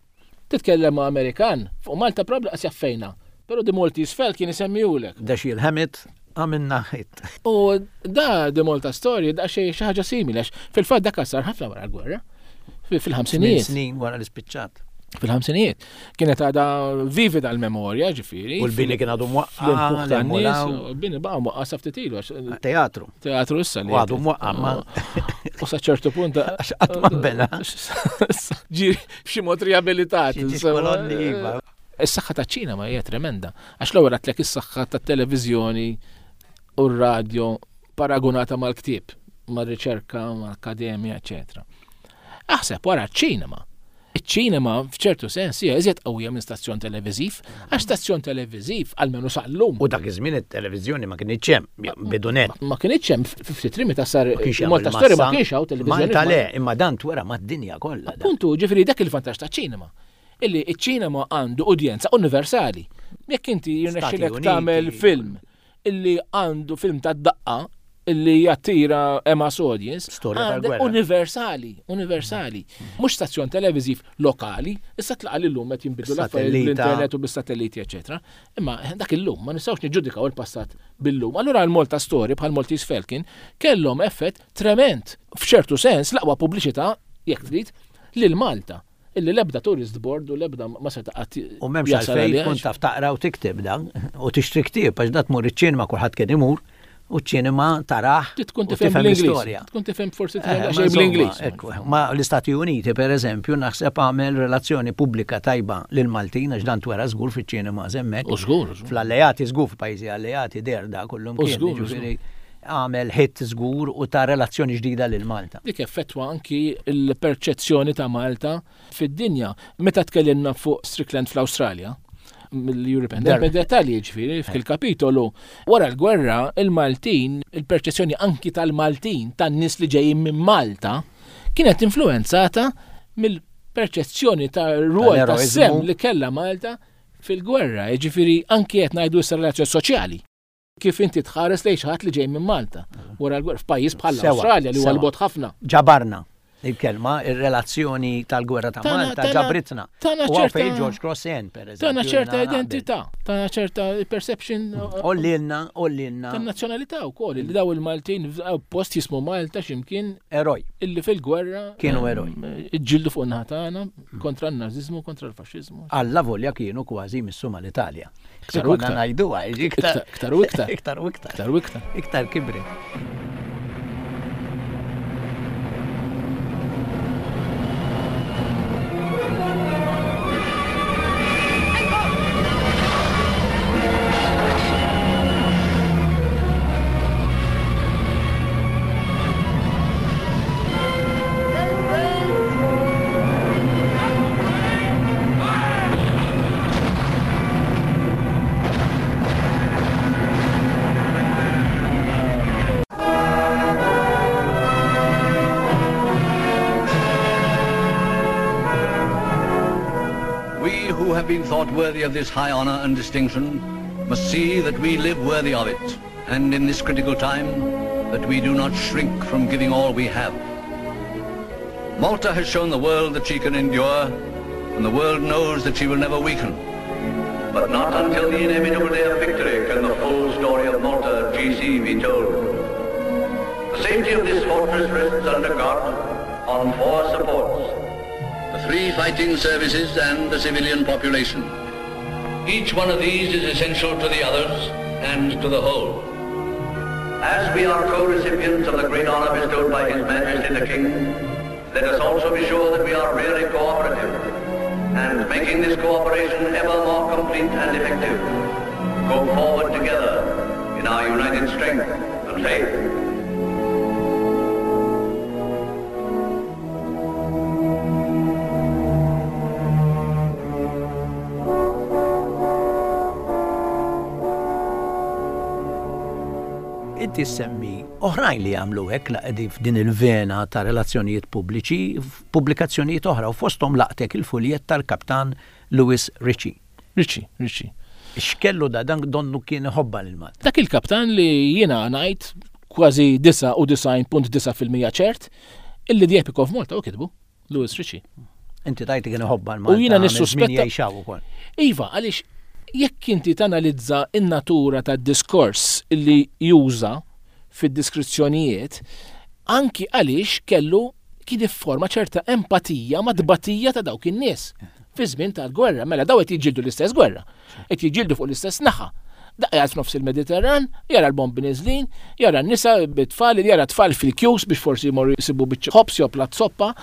Titkellem ma' Amerikan, fuq Malta probabbli qas jaffejna. Però The Maltese Falcon isemmihulek. Da xi l-ħemit għamilna ħit. U da The Malta Story da xi ħaġa simili, għax fil-fatt dak sar ħafna wara l-gwerra. Fi-, fil-ħamsinijiet. Tmien snin wara l-ispiċċat. Fil-ħamsinijiet. Kienet għadha vivida l-memorja, ġifieri. U l-bini kien għadu mwaqqa, Fl-impuħ tan-nies, l-emmulaw. u l-bini baqa' mwaqqa sa ftit ilu, għax Teatru. Teatru issa li U għadu qed. mwaqqa, ma U sa ċertu punt Għax qatt ma bena. Ġiri, b'xi mod riabilitat, Xi insomma. kolonni, iva. Is-saħħa taċ-ċinema hija tremenda. Għax l-ewwel għedtlek is-saħħa tat-televiżjoni u r-radio paragonata mal-ktieb, mar-riċerka, mal-akkademja, eċċetera. Aħseb wara ċ-ċinema. Iċ-ċinema f'ċertu sens hija iżjed qawwija minn stazzjon televiżiv, għax stazzjon televiżiv almenu sal-lum. U dak iż-żmien it-televiżjoni ma kienx hemm, bidu net. Ma kienx hemm, f-, ftit rimi ta' sar Ma kienx hemm Malta Story ma il-massa. kienx hawn televiżjoni. Malta le, imma dan twera mad-dinja kollha. Dan. Appuntu, ġifieri dak il-vantaġġ taċ-ċinema. Illi iċ-ċinema għandu udjenza universali. Jekk inti jirnexxilek Stati Uniti. tagħmel film illi għandu film ta' daqqa illi jattira mass audience, Storja għandek tal-gwerra. universali, universali. Mhux stazzjon televiżiv lokali, issa tlaqa' li llum qed jinbidlu l-affarijiet Satellita. bl-internet u bis-satelliti, eċċetera. Imma dak illum ma nistgħux niġġudikaw il-passat bil-lum. Allura l-Malta Story bħal Maltese Falcon kellhom effett trement. F'ċertu sens l-aqwa pubbliċità, jekk trid, lil Malta. Illi l-ebda tourist board u l-ebda ma seta' qatt U m'hemmx jasal għalfejn għaliha. tkun taf taqra u tikteb dan, u tixtri ktieb, għax da tmur iċ-ċinema kulħadd kien imur, u ċ-ċinema taraħ Ti tkun u tifhem tifhem bl-Ingliż. l-istorja. Tkun tifhem forsi Eh, tifhem ma xejn insomma, bl-Ingliż. ekku, ma l-Istati Uniti, per eżempju, naħseb għamel relazzjoni pubblika tajba lil Maltin, għax dan twera żgur fiċ-ċinema hemmhekk. U żgur, u żgur. Fl-alleati żgur, f'pajjiżi alleati der da kullum U kien, żgur, u jiġifieri għamel hit żgur u ta' relazzjoni ġdida lil Malta. Dik effettwa anki l-perċezzjoni ta' Malta fid-dinja. Meta tkellimna fuq Strickland fl-Awstralja, mill-European Dark. Minn dettalji ġifieri fil-kapitolu, wara l-gwerra, il-Maltin, il-perċezzjoni anki tal-Maltin, tan-nies li ġejjin minn Malta, kienet influenzata mill-perċezzjoni ta' rwol ta' Tal-eroiżmu. sem li kellha Malta fil-gwerra, jiġifieri anki qed ngħidu issa relazzjoni soċjali. Kif inti tħares lejn xi ħadd li ġej minn Malta wara l-gwerra f'pajjiż bħal Sewa, Awstralja li huwa sewa. l-bogħod ħafna. Ġabarna il-kelma, ir-relazzjoni tal-gwerra ta' Tana- Malta tana- ġabritna. tana U għaw ċerta- fejn George Cross N, per eżempju. Tana ċerta jiena naqbel. identità, tana ċerta perception uh, Ollilna, ollilna. tan-nazzjonalità wkoll, li daw il-Maltin f'daw post jismu Malta x'imkien Eroj. illi fil-gwerra Kienu ehm, eroj. Iġġieldu fuq in-naħa tagħna kontra n-nażiżmu, kontra l-faxxiżmu. Alla volja kienu kważi missu mal-Italja. Iktar u Konna iktar. ngħiduha, jiġi iktar. Iktar u iktar. Iktar u iktar. Iktar u iktar. Iktar kibri. who have been thought worthy of this high honor and distinction must see that we live worthy of it, and in this critical time, that we do not shrink from giving all we have. Malta has shown the world that she can endure, and the world knows that she will never weaken. But not until the inevitable day of victory can the full story of Malta G C be told. The safety of this fortress rests under God on four supports: the three fighting services and the civilian population. Each one of these is essential to the others and to the whole. As we are co-recipients of the great honor bestowed by His Majesty the King, let us also be sure that we are really cooperative, and making this cooperation ever more complete and effective, go forward together in our united strength and faith. Inti semmi oħrajn li għamlu hekk la qegħdin f'din il-vena ta' relazzjonijiet pubbliċi f'pubblikazzjonijiet oħra u fosthom laqtek il-fuljett tal-kaptan Louis Ritchie. Ritchie, Ritchie. X'kellu da dan donnu kien iħobba lil Malta? Dak il-kaptan li jiena ngħid kważi disgħa u disgħin punt disgħa fil-mija ċert illi The Epic of Malta u kitbu Louis Ritchie. Inti tajt kien iħobba l-Malta. U jiena nissuspetta. Iva, għaliex jekk inti tanalizza in-natura tad-diskors illi juża fid-diskrizzjonijiet, anki għaliex kellu kien ifforma ċerta empatija ma' tbatija ta' dawk in-nies fi żmien tal-gwerra. Mela daw qed jiġġieldu l-istess gwerra, qed jiġġieldu fuq l-istess naħa. Daqqa f'nofs il-Mediterran, jara l-bombi niżlin, jara n-nisa bit-tfal, jara tfal fil-kjus biex forsi jmorru jsibu biċċa ħobs jew platt soppa,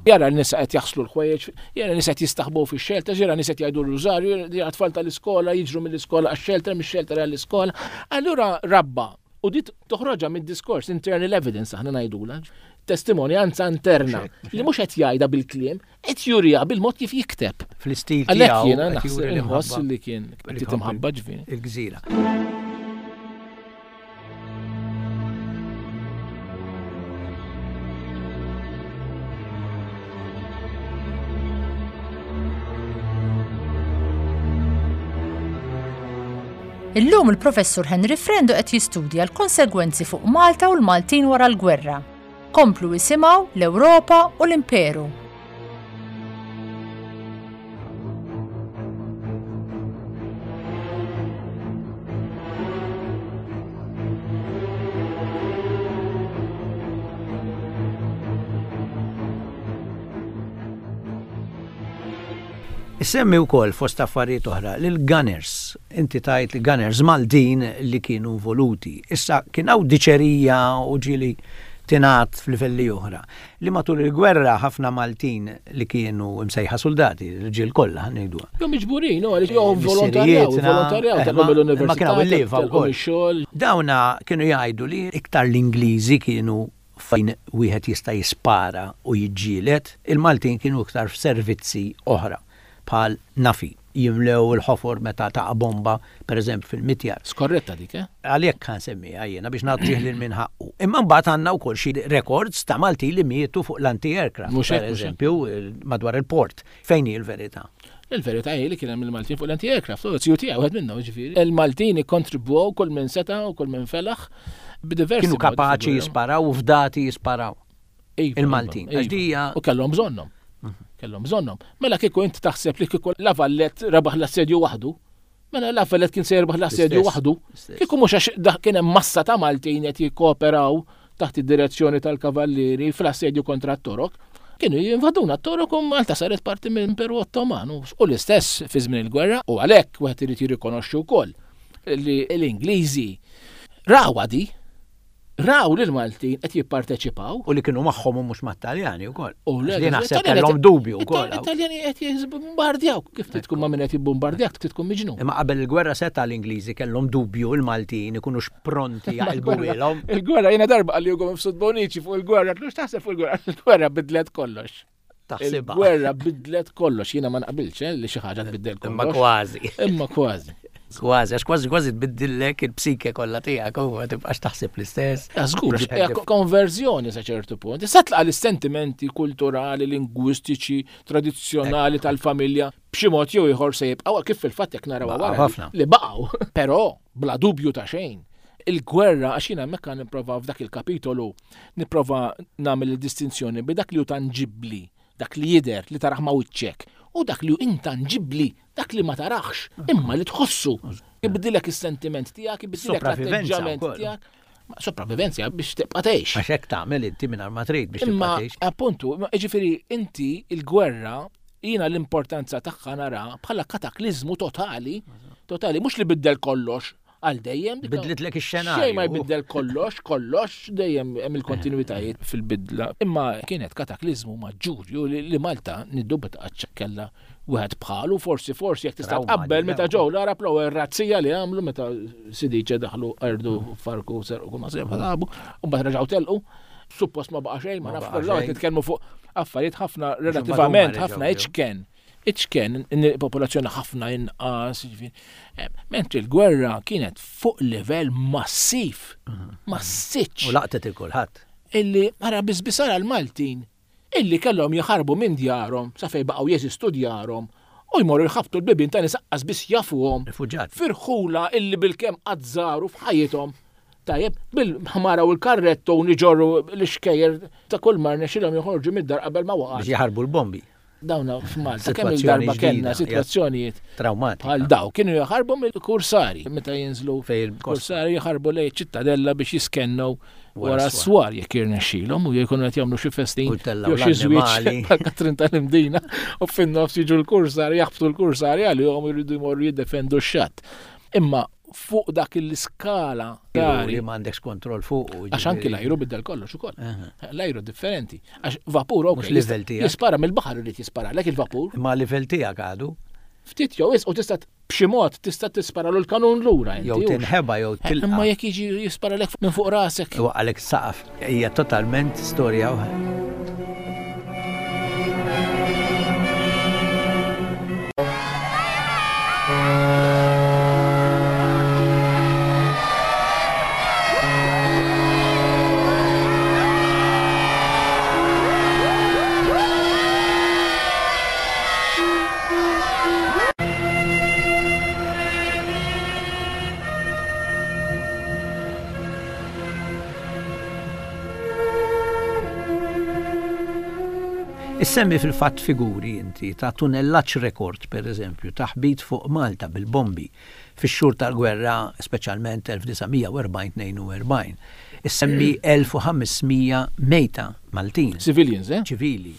jara n-nisa qed jaħslu l-ħwejjeġ, jara n-nisa qed jistaħbu fix-xelter, jara n-nisa qed jgħidu r-rużarju, jara tfal tal-iskola jiġru mill-iskola għax-xelter, mix-xelter għall-iskola. Allura rabba, u dit toħroġha mid-diskors, internal evidence aħna ngħidulha, testimonjanza interna li mhux qed jgħidha bil-kliem, qed juriha bil-mod kif jikteb. Fl-istil tiegħu. Għalhekk jiena naħseb inħoss li kien qed imħabba ġifieri. Il-gżira. Illum il-Professur Henry Frendo qed jistudja l-konsegwenzi fuq Malta u l-Maltin wara l-gwerra. Komplu jisimgħu l-Ewropa u l-Imperu. Issemmi wkoll fost affarijiet oħra lil Gunners. Inti tajt li Gunners Maltin li kienu involuti. Issa kien hawn diċerija u ġieli tingħad f'livelli oħra li matul il-gwerra ħafna Maltin li kienu msejħa soldati, l-irġiel kollha ngħiduha. Jew miġburin, għaliex jew volontarjaw, volontarjaw tal-lum l-università. Ma kienu il-leva wkoll. Dawna kienu jgħidu li iktar l-Ingliżi kienu fejn wieħed jista' jispara u jiġġieled, il-Maltin kienu iktar f'servizzi oħra bħal nafi, jimlew il-ħofor meta taqa' bomba, per eżempju fil-mitjar. Skorretta dik, eh? Għalhekk kan semmiha jiena biex nagħtih lil min ħaqqu. Imma mbagħad għandna wkoll xi records ta' Malti li mietu fuq l-anti-aircraft, per eżempju, madwar il-port. Fejn hi l-verità? Il-verità hi li kien hemm il-Maltin fuq l-anti-aircraft, u C U T wieħed minnhom, ġifieri. Il-Maltin ikkontribwew kull minn seta' u kull minn felaħ b'diversi. Kienu kapaċi jisparaw u fdati jisparaw. Il-Maltin. U kellhom bżonnhom. Kellhom bżonnhom. Mela kieku inti taħseb li kieku La Valette rebaħ l-assedju waħdu, mela La Valette kien se jirbaħ l-assedju waħdu. Kieku mhux għax kien hemm massa ta' Maltin qed jikkooperaw taħt id-direzzjoni tal-Kavallieri fl-assedju kontra t-Torok, kienu jinvaduna t-Torok u Malta saret parti mill-Imperu Ottoman. U l-istess fi żmien il-gwerra, u għalhekk wieħed irid jirrikonoxxi wkoll li l-Ingliżi rawha di, raw li l-Maltin qed jipparteċipaw. U li kienu magħhom u mhux mat-Taljani wkoll. U li naħseb kellhom dubju wkoll. It-Taljani qed jibbombardjaw. Kif tkun ma' min qed jibbombardjak, tkun miġnun. Imma qabel il-gwerra seta' l-Ingliżi kellhom dubju l-Maltin ikunux pronti jaqilbu ilhom. Il-gwerra jiena darba qalli Ugo Mifsud Bonici fuq il-gwerra, tlux taħseb fuq il-gwerra, il-gwerra bidlet kollox. Taħsibha. Il-gwerra bidlet kollox, jiena ma naqbilx li xi ħaġa tbiddel kollox. Imma kważi. Imma kważi. Kważi, għax kważi kważi tbiddillek il-psike kollha tiegħek u ma tibqax taħseb l-istess. Żgur, konverżjoni sa ċertu punt. Issa tlaqa' l-sentimenti kulturali, lingwistiċi, tradizzjonali tal-familja b'xi mod jew ieħor se jibqgħu kif fil-fatt jekk naraw wara li baqgħu. Però bla dubju ta' xejn. Il-gwerra, għax jiena hemmhekk nipprova f'dak il-kapitolu nipprova nagħmel il-distinzjoni bi dak li hu tanġibbli, dak li jidher li taraħ ma' wiċċek, u dak li hu intanġibbli, dak li ma taraħx, imma li tħossu. Ibdilek is-sentiment tiegħek, ibdilek l-atteġġament tiegħek. Sopravivenza biex tibqa' tgħix. Għax hekk tagħmel inti mingħajr ma trid biex tibqa' tgħix. Appuntu, jiġifieri inti il-gwerra jiena l-importanza tagħha nara bħala kataklizmu totali, totali mhux li biddel kollox għal dejjem. Bidlitlek ix-xenarju. Xejn ma jbiddel kollox, kollox, dejjem hemm il-kontinuitajiet fil-bidla. Imma kienet kataklizmu maġġurju li Malta niddubita qatt kellha wieħed bħalu, forsi forsi jekk tista' tqabbel meta ġew l-Arab l-ewwel razzija li għamlu meta Sidiċe daħlu qardu farku serqu kull ma sebabu, u mbagħad reġgħu telqu. Suppost ma baqa' xejn, ma nafx qed nitkellmu fuq affarijiet ħafna relattivament ħafna iċken. Iċken, popolazzjoni ħafna inqas, mentri l-gwerra kienet fuq livell massiv, massiċ. U laqtet il-kulħadd. Illi ara biżbisara l-Maltin, illi kellhom jaħarbu minn djarhom sa fejn baqgħu jeżistu djarhom u jmorru jħabtu l-bibien ta' nies aqqas biss jafuhom. Rifuġjati. Firħula illi bilkemm qatt żaru f'ħajjithom. Tajjeb, bil-ħmara u l-karretto u niġorru l-ixkejjer ta' kull mar nexxilhom joħorġu mid-dar qabel ma waqgħet. Biex jaħarbu l-bombi. Dawna f'Malta kemm il-darba kellna sitwazzjonijiet traumatiċi bħal daw kienu jaħarbu mill-kursari meta jinżlu kursari jaħarbu lejn ċittadella biex jiskennew wara s-swar jekk jirnexxilhom u jkunu qed jagħmlu xi festin jew xi żwieġ bħal-Katrin tal-Imdina u fin-nofs jiġu l-kursari jaħbtu l-kursari għalihom jridu jmorru jiddefendu x-xatt. Imma fuq dak il-iskala li m'għandekx kontroll fuq. Għax anki l-ajru biddel kollox ukoll. L-ajru differenti. Għax vapur ok, jispara mill-baħar irid jispara lek il-vapur. Ma livell tiegħek għadu. Ftit jew u tista' b'xi mod tista' tispara l kanun lura inti. Jew tinħeba jew tilqa. Imma jekk jiġi jispara lek minn fuq rasek. Waqalek saqaf. Hija totalment storja oħra. Issemmi fil-fatt figuri inti ta' tunellaġġ rekord, per eżempju, ta' ħbit fuq Malta bil-bombi fix-xhur tal-gwerra, speċjalment elf disa' mija u erbgħin tnejn u erbgħin. Issemmi elf u ħames mija mejta Maltin. Civilians, eh? Ċivili.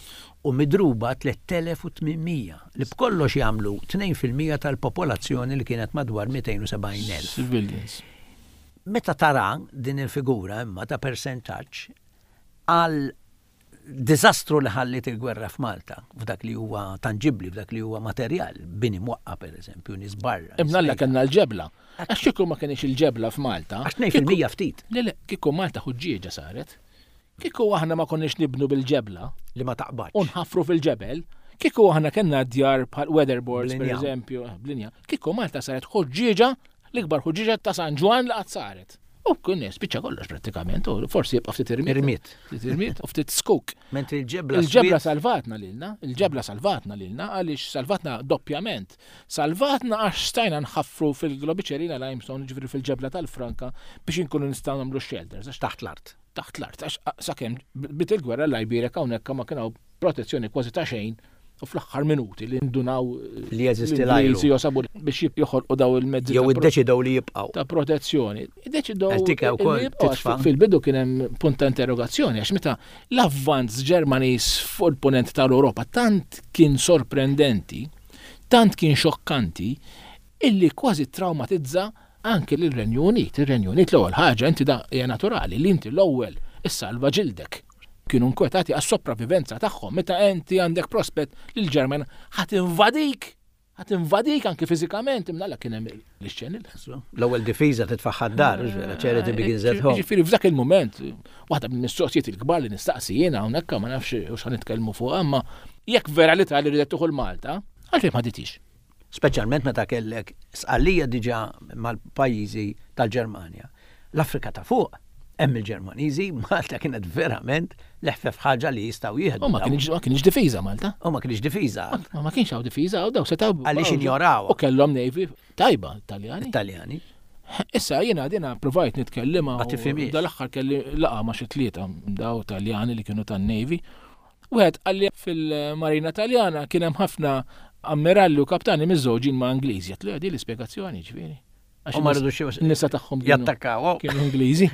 U midruba tliet elef u tmien mija, li b'kollox jagħmlu tnejn fil-mija tal-popolazzjoni li kienet madwar mitejn u sebgħin elf. Civilians. Meta tara din il-figura imma ta' percentaġġ għal diżastru li ħallit il-gwerra f'Malta, f'dak li huwa tanġibbli, f'dak li huwa materjal, bini mwaqqa per eżempju, nies barra. Imnalla kellna l-ġebla. Għax kieku ma kienx il-ġebla f'Malta. Għax tnejn fil-mija ftit. Le, le, kieku Malta ħuġġieġa saret. Kieku aħna ma konniex nibnu bil-ġebla. Li ma taqbadx. U nħaffru fil-ġebel. Kieku aħna kellna djar bħal weatherboards per eżempju, blinja. Kieku Malta saret ħuġġieġa, l-ikbar ħuġġieġa ta' San Ġwann li qatt saret. U kien spiċċa kollox prattikament, u forsi jibqa' ftit irmiet. Irmiet. Ftit irmiet u ftit skuk. Mentri l-ġebla Il-ġebla salvatna lilna, il-ġebla salvatna lilna għaliex salvatna doppjament. Salvatna għax stajna nħaffru fil-globiċerina limestone, ġifieri fil-ġebla tal-Franka biex inkunu nistgħu nagħmlu shelters. Għax taħt l-art. Taħt l-art, għax sakemm bit il-gwerra l-Iberica hawnhekk ma kien hawn protezzjoni kważi ta' xejn. U fl-aħħar minuti li ndunaw li jeżisti l-ajru. Li josabu biex joħolqu daw il-mezzi. Jew iddeċidew li jibqgħu. Ta' protezzjoni. Iddeċidew li jibqgħu. Fil-bidu kien hemm punt ta' interrogazzjoni għax meta l-avvanz Ġermaniż fuq il-punent tal-Ewropa tant kien sorprendenti, tant kien xokkanti, illi kważi traumatizza anke lir-Renju Unit. Ir-Renju Unit l-ewwel ħaġa inti da hija naturali li inti l-ewwel issalva ġildek. Kienu nkwetati għas-sopravivenza tagħhom meta inti għandek prospett li l-Ġerman ħadd invadik, ħadd invadik anke fiżikament imnalla kien hemm l-ixxeni. L-ewwel difiża titfaħħa d-dar, vera, charity begins at home. Ġifieri f'dak il-mument, waħda mill-mistoqsijiet il-kbar li nistaqsi jiena hawnhekk ma nafx u x'ħa nitkellmu fuq, imma jekk vera li tali ridet tuħu l-Malta, għalfejn ma ditix. Speċjalment meta kellek Sqallija diġà mal-pajjiżi tal-Ġermanja. L-Afrika ta' fuq hemm il-Ġermaniżi, Malta kienet verament l-eħfef ħaġa li jistgħu jieħdu. U ma kienx ma kienx difiża Malta. U ma kienx difiża. Ma ma kienx hawn difiża, u daw setgħu. Għaliex injorawha. U kellhom navy tajba Taljani. Italjani. Issa jiena dina provajt nitkellima. Ma tifhimhiex. Dal-aħħar kelli laqgħa ma' xi tlieta daw Taljani li kienu tan-Navy. Wieħed qalli fil-Marina Taljana kien hemm ħafna ammiralli u kaptani miżżewġin ma' Ingliżi. Għedtlu di l-ispjegazzjoni ġifieri. Għax U ma in-nisa- rridux in-nisa tagħhom kienu- jattakkaw. kienu Ingliżi.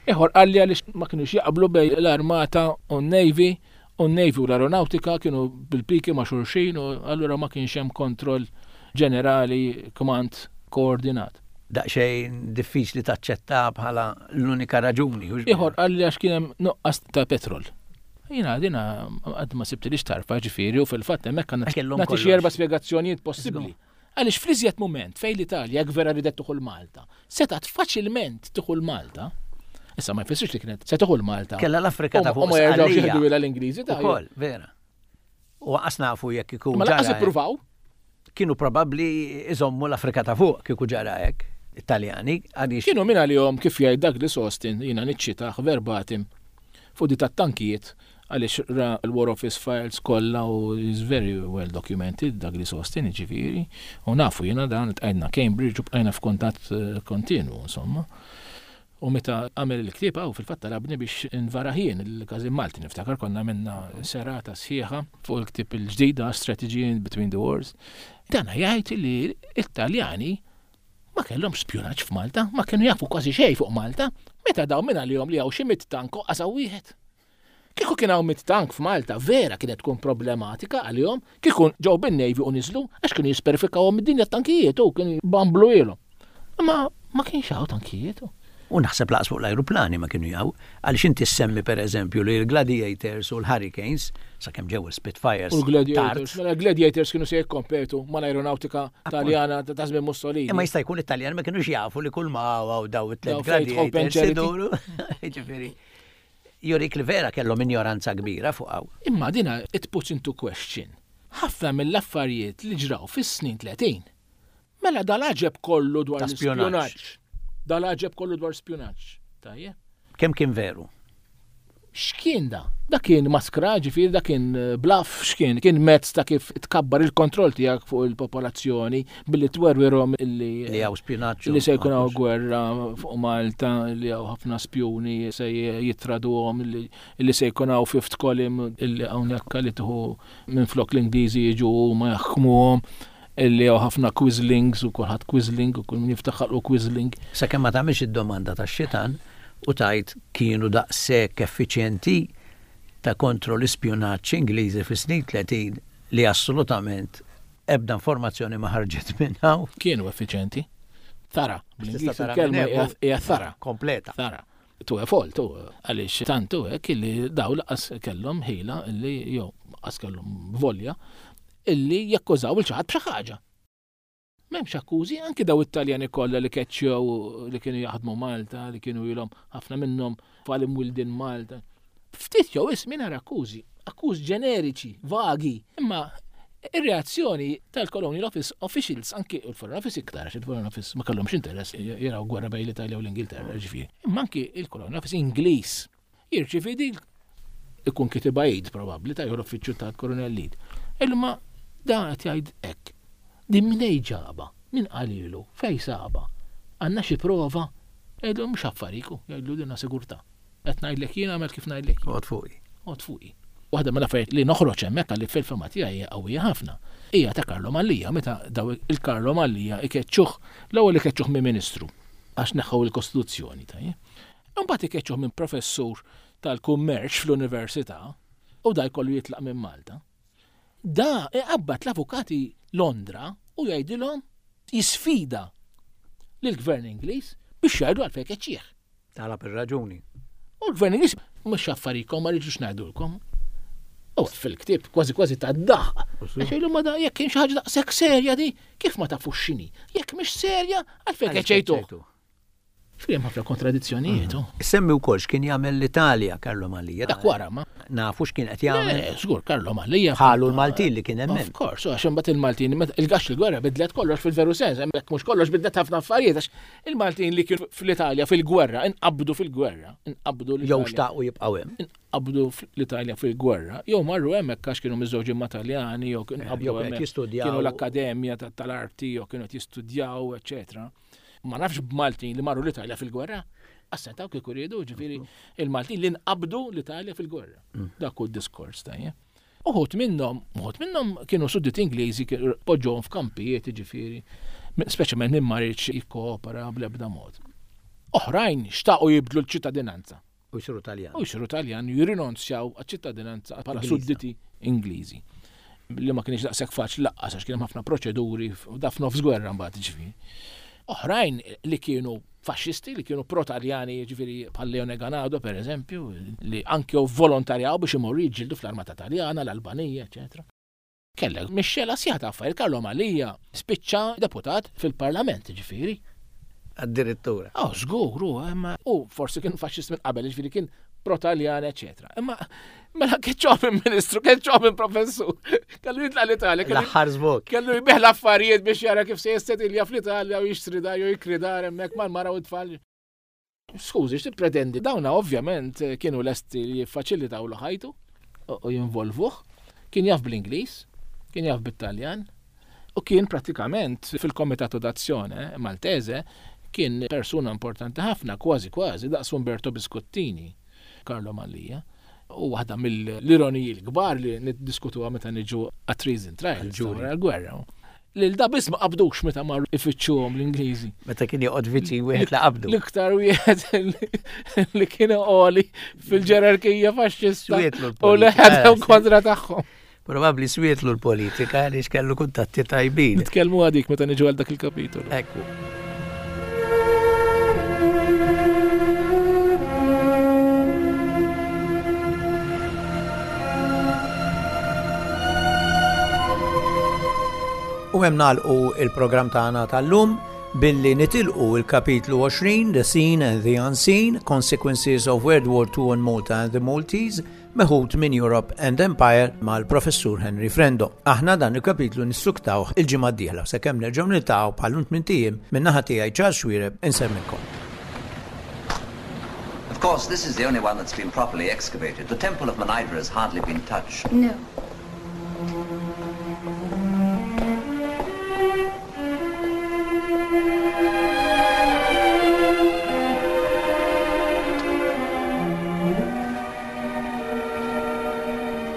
Ieħor qalli għaliex ma kienux jaqblu bejn l-armata u n-Navy u n-Navy u l-aeronautika kienu bil-piki ma' xulxin u allura ma kienx hemm kontroll ġenerali, command koordinat. Daqsxejn diffiċli taċċetta bħala l-unika raġuni. hux Ieħor qalli għax kien hemm nuqqas ta' petrol. Jiena dina għad ma sibtilix tarfa ġifieri u fil-fatt hemmhekk Għax kellhom nagħti xi kollox. erba' spjegazzjonijiet possibbli. Għaliex fl-iżjed mument fejn l-Italja jekk vera ridet tieħu Malta, setgħet faċilment tieħu Malta. Issa ma jfissirx li kienet se tieħu Malta. Kella l-Afrika ta' U fuq ma jerġgħux Sqallija. jieħdu ilha l-Ingliżi ta' Ukoll, vera. U għas nafu jekk ikun Ma lanqas ġara hekk. ippruvaw. Kienu probabbli iżommu l-Afrika ta' fuq kieku ġara hekk. Italjani, għaliex Kienu minn għalihom kif jgħid Douglas Austin, jiena niċċitah verbatim fuq di tat-tankijiet għaliex ra l-War Office files kollha u is very well documented Douglas Austin, ġifieri, u nafu jiena dan tqajna Cambridge u bqajna f'kuntatt eh, kontinu, insomma. U meta għamel il-ktieb għaw fil-fatt talabni biex nvarah jien il-Każin Malti niftakar konna minna serata sħiħa fuq il-ktieb il-ġdida Strategy in Between the Wars. Dana jgħid li l-Italjani ma kellhomx spjunaġġ f'Malta, ma kienu jafu kważi xejn fuq Malta, meta daw minn għalihom li hawn xi mitt tank u qas hawn wieħed. Kieku kien hawn mitt tank f'Malta, vera kienet tkun problematika għalihom, kieku ġew bin-Navy u niżlu għax kienu jisperfikawhom id-dinja tankijiet u kienu bamblu ilhom. Ma ma kienx hawn tankijiet. U naħseb laqas fuq l-ajruplani ma kienu jaw, għaliex inti semmi per eżempju li l-Gladiators u l-Hurricanes, sakemm ġew il-Spitfires. U l-Gladiators, tard, mela l-Gladiators kienu se jikkompetu mal-aeronautika Taljana ta' żmien Mussolini. Imma jista' jkun Italjan ma kienux jafu li kull ma hawn daw it-tliet Daw Faith, Hope and Gladiators Charity. iduru. Jiġifieri, jurik li vera kellhom ignoranza kbira fuq hawn. Imma dina it puts into question. Ħafna mill-affarijiet li ġraw fis-snin tletin. Mela dal-aġeb kollu dwar Ta' spjunaġġ. l-spjunaġġ. Dal-aġeb kollu dwar spjunaġġ. Tajjeb. Kemm kien veru? X'kien da? Da kien maskra, ġifieri, da kien eh, bluff, x'kien? Kien mezz ta' kif tkabbar il-kontroll tiegħek fuq il-popolazzjoni billi twerwirhom illi Li hawn spjunaġġ. li se jkun hawn gwerra fuq Malta, li hawn ħafna spjuni se jitraduhom, li li se jkun hawn fifth column illi hawnhekk li tieħu minflok l-Ingliżi jiġu ma jaħkmuhom, illi hawn ħafna quislings u kulħadd quisling u kull min jiftaħ ħalqu quisling. Sakemm ma tagħmilx id-domanda tax-xitan u tajt kienu daqshekk effiċjenti ta' kontro l-ispjunaġġ Ingliżi fis-snin tletin li assolutament ebda informazzjoni ma ħarġet minn hawn. Kienu effiċjenti. Thorough, bl-Ingliż Tista' tara il-kelma minn hekk, hija thorough. Kompleta. Thorough. To a fault, u għaliex tantu hekk illi daw laqas kellhom ħila illi jew laqas kellhom volja illi jakkużaw il xi ħadd b'xi ħaġa. M'hemmx akkużi, anki daw it-Taljani kollha li keċċew li kienu jaħdmu Malta, li kienu ilhom ħafna minnhom tfal imwildin Malta. Ftit jew ismi nara akkużi, akkużi ġeneriċi, vagi, imma ir-reazzjoni tal-Colonial Office officials, anki il-Foreign Office iktar, għax il-Foreign Office ma kellhomx interess jaraw gwerra bejn l-Italja u l-Ingilterra, ġifieri. Imma anki il-Colonial Office Ingliż jirċivi din ikun kitibha id probabbli ta' l-uffiċċju tal-Colonel Lead. Imma da qed jgħid hekk. Din min ġaba, min qalilu, fej saba, għandna xi prova, jgħidlu mhux affariku, jgħidlu dinna sigurtà. Qed ngħidlek jien għamel kif ngħidlek. Għod fuqi. Għod fuqi. Waħda mill-affarijiet li noħroġ hemmhekk għalli fil-fema tiegħi hija qawwija ħafna. Hija ta' Carlo Mallia meta daw il-Carlo Mallia ikeċċuh, l-ewwel ikeċċuh minn ministru għax neħħu il-Kostituzzjoni tajjeb. Imbagħad ikeċċuh minn professur tal-kummerċ fl-università u da jkollu jitlaq minn Malta. Da iqabbad l-avukati Londra u jgħidilhom jisfida lill-gvern Ingliż biex jgħidu għalfejn keċċieħ. Talab ir-raġuni. U l-gvern Ingliż mhux affarikom ma rridux ngħidulkom. U fil-ktieb kważi kważi ta' daħ. Għax jgħidu ma da jekk kien xi ħaġa daqshekk serja di, kif ma tafux x'inhi? Jekk mhix serja, għalfejn keċċejtuh. Fjem ħafna kontradizzjonijiet. Semmi wkoll x'kien jagħmel l-Italja Carlo Mallia. Dak wara ma. Nafu x'kien qed jagħmel. Żgur Carlo Mallia. Ħalu l-Maltin li kien hemm. Of course, għax imbagħad il-Maltin il-gax il-gwerra bidlet kollox fil-veru sens, hemmhekk mhux kollox bidlet ħafna affarijiet għax il-Maltin li kienu fl-Italja fil-gwerra, inqabdu fil-gwerra, inqabdu l Jew xtaqu jibqgħu hemm. Inqabdu l-Italja fil-gwerra, jew marru hemmhekk għax kienu miżżewġin ma' Taljani, jew inqabdu hemmhekk. Kienu l-Akkademja tal-Arti, jew kienu qed jistudjaw, eċetera. Ma nafx b'Maltin li marru l-Italja fil-gwerra, assentaw kieku riedu, ġifieri il-Maltin li nqabdu l-Italja fil-gwerra. Dak hu d-diskors tajjeb. Uħud minnhom, uħud minnhom kienu sudditi Ingliżi poġġuhom f'kampijiet, ġifieri, speċjalment min ma riedx jikkoopera bl-ebda mod. Oħrajn xtaqu jibdlu l-ċittadinanza. U jsiru Taljan. U jsiru Taljan jirrinunzjaw għaċ-ċittadinanza bħala sudditi Ingliżi. Li ma kienx daqshekk faċli laqqas għax kien hemm ħafna proċeduri da f'nofs gwerra mbagħad ġifieri. Oħrajn li kienu faxxisti, li kienu pro-Taljani, ġifieri bħal Leone Ganado per eżempju, li anke volontarjaw biex imorru jiġġieldu fl-Armata Taljana, l-Albanija, eċetera. Kellek mixxela sħiħa ta' affarijiet. Carlo Mallia spiċċa deputat fil-Parlament, ġifieri. Addirittura. Oh, żgur, imma u forsi kien faxxist minn qabel, ġifieri kien pro-Taljan, eċetera. Imma mela keċċoh minn ministru, keċċoh minn professur. Kellu jitla' l-Italja. L-aħħar żvok. Kellu jbigħ l-affarijiet biex jara kif se jissetilja fl-Italja u jixtri dar jew jikri dar hemmhekk mal-mara u t-tfal. Skużi, x'tippretendi? Dawna ovvjament kienu lesti li jiffaċilitaw lu ħajtu u jinvolvuh. Kien jaf bl-Ingliż, kien jaf bit-Taljan u kien pratikament fil-Komitato d'Azzjone Maltese kien persuna importanti ħafna, kważi kważi daqs Umberto Biscottini, Carlo Mallia. U waħda mill-ironiji l-kbar li niddiskutuha meta niġu għat-treason trials, wara l-gwerra. Lil da biss ma qabdux meta marru ifittxuhom l-Ingliżi. Meta kien joqgħod viċin wieħed li qabdu. L-iktar wieħed li kien għoli fil-ġerarkija faxxista u li ħadhom kontra tagħhom. Probabbli swietlu l-politika għaliex kellu kuntatti tajbin. Nitkellmu għadik meta niġu għal dak il-kapitolu. Ekku. U hemm nagħlqu il-programm tagħna tal-lum billi nitilqu il-kapitlu għoxrin, The Seen and the Unseen, Consequences of World War Two on Malta and the Maltese, meħud minn Europe and Empire mal-Professur Henry Frendo. Aħna dan il-kapitlu nissuktawh il-ġimgħa d-dieħla sakemm nerġgħu niltaqgħu bħal tmien ijiem min-naħa tiegħi Charles Xuereb insemmilkom. Of course, this is the only one that's been properly excavated. The Temple of Mnajdra has hardly been touched. No.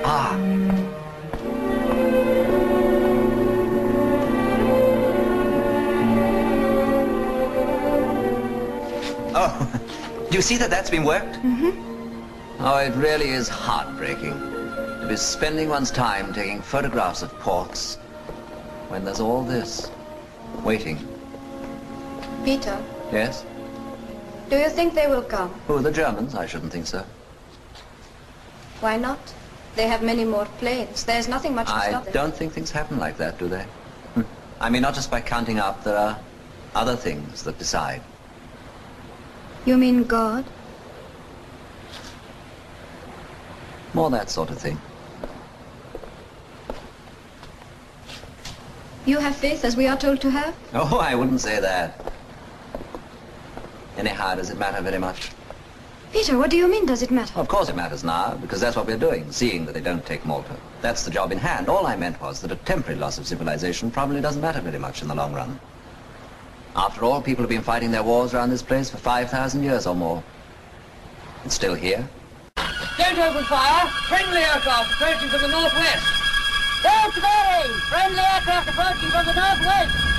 Ah. Oh, do you see that that's been worked? Mm-hmm. Oh, it really is heartbreaking to be spending one's time taking photographs of ports when there's all this waiting. Peter? Yes? Do you think they will come? Who, the Germans? I shouldn't think so. Why not? They have many more planes. There's nothing much to I stop them. don't think things happen like that, do they? I mean, not just by counting up. There are other things that decide. You mean God? More that sort of thing. You have faith as we are told to have? Oh, I wouldn't say that. Anyhow, does it matter very much? Peter, what do you mean, does it matter? Of course it matters now, because that's what we're doing, seeing that they don't take Malta. That's the job in hand. All I meant was that a temporary loss of civilization probably doesn't matter very much in the long run. After all, people have been fighting their wars around this place for five thousand years or more. It's still here. Don't open fire! Friendly aircraft approaching from the northwest! Don't worry! Friendly aircraft approaching from the northwest!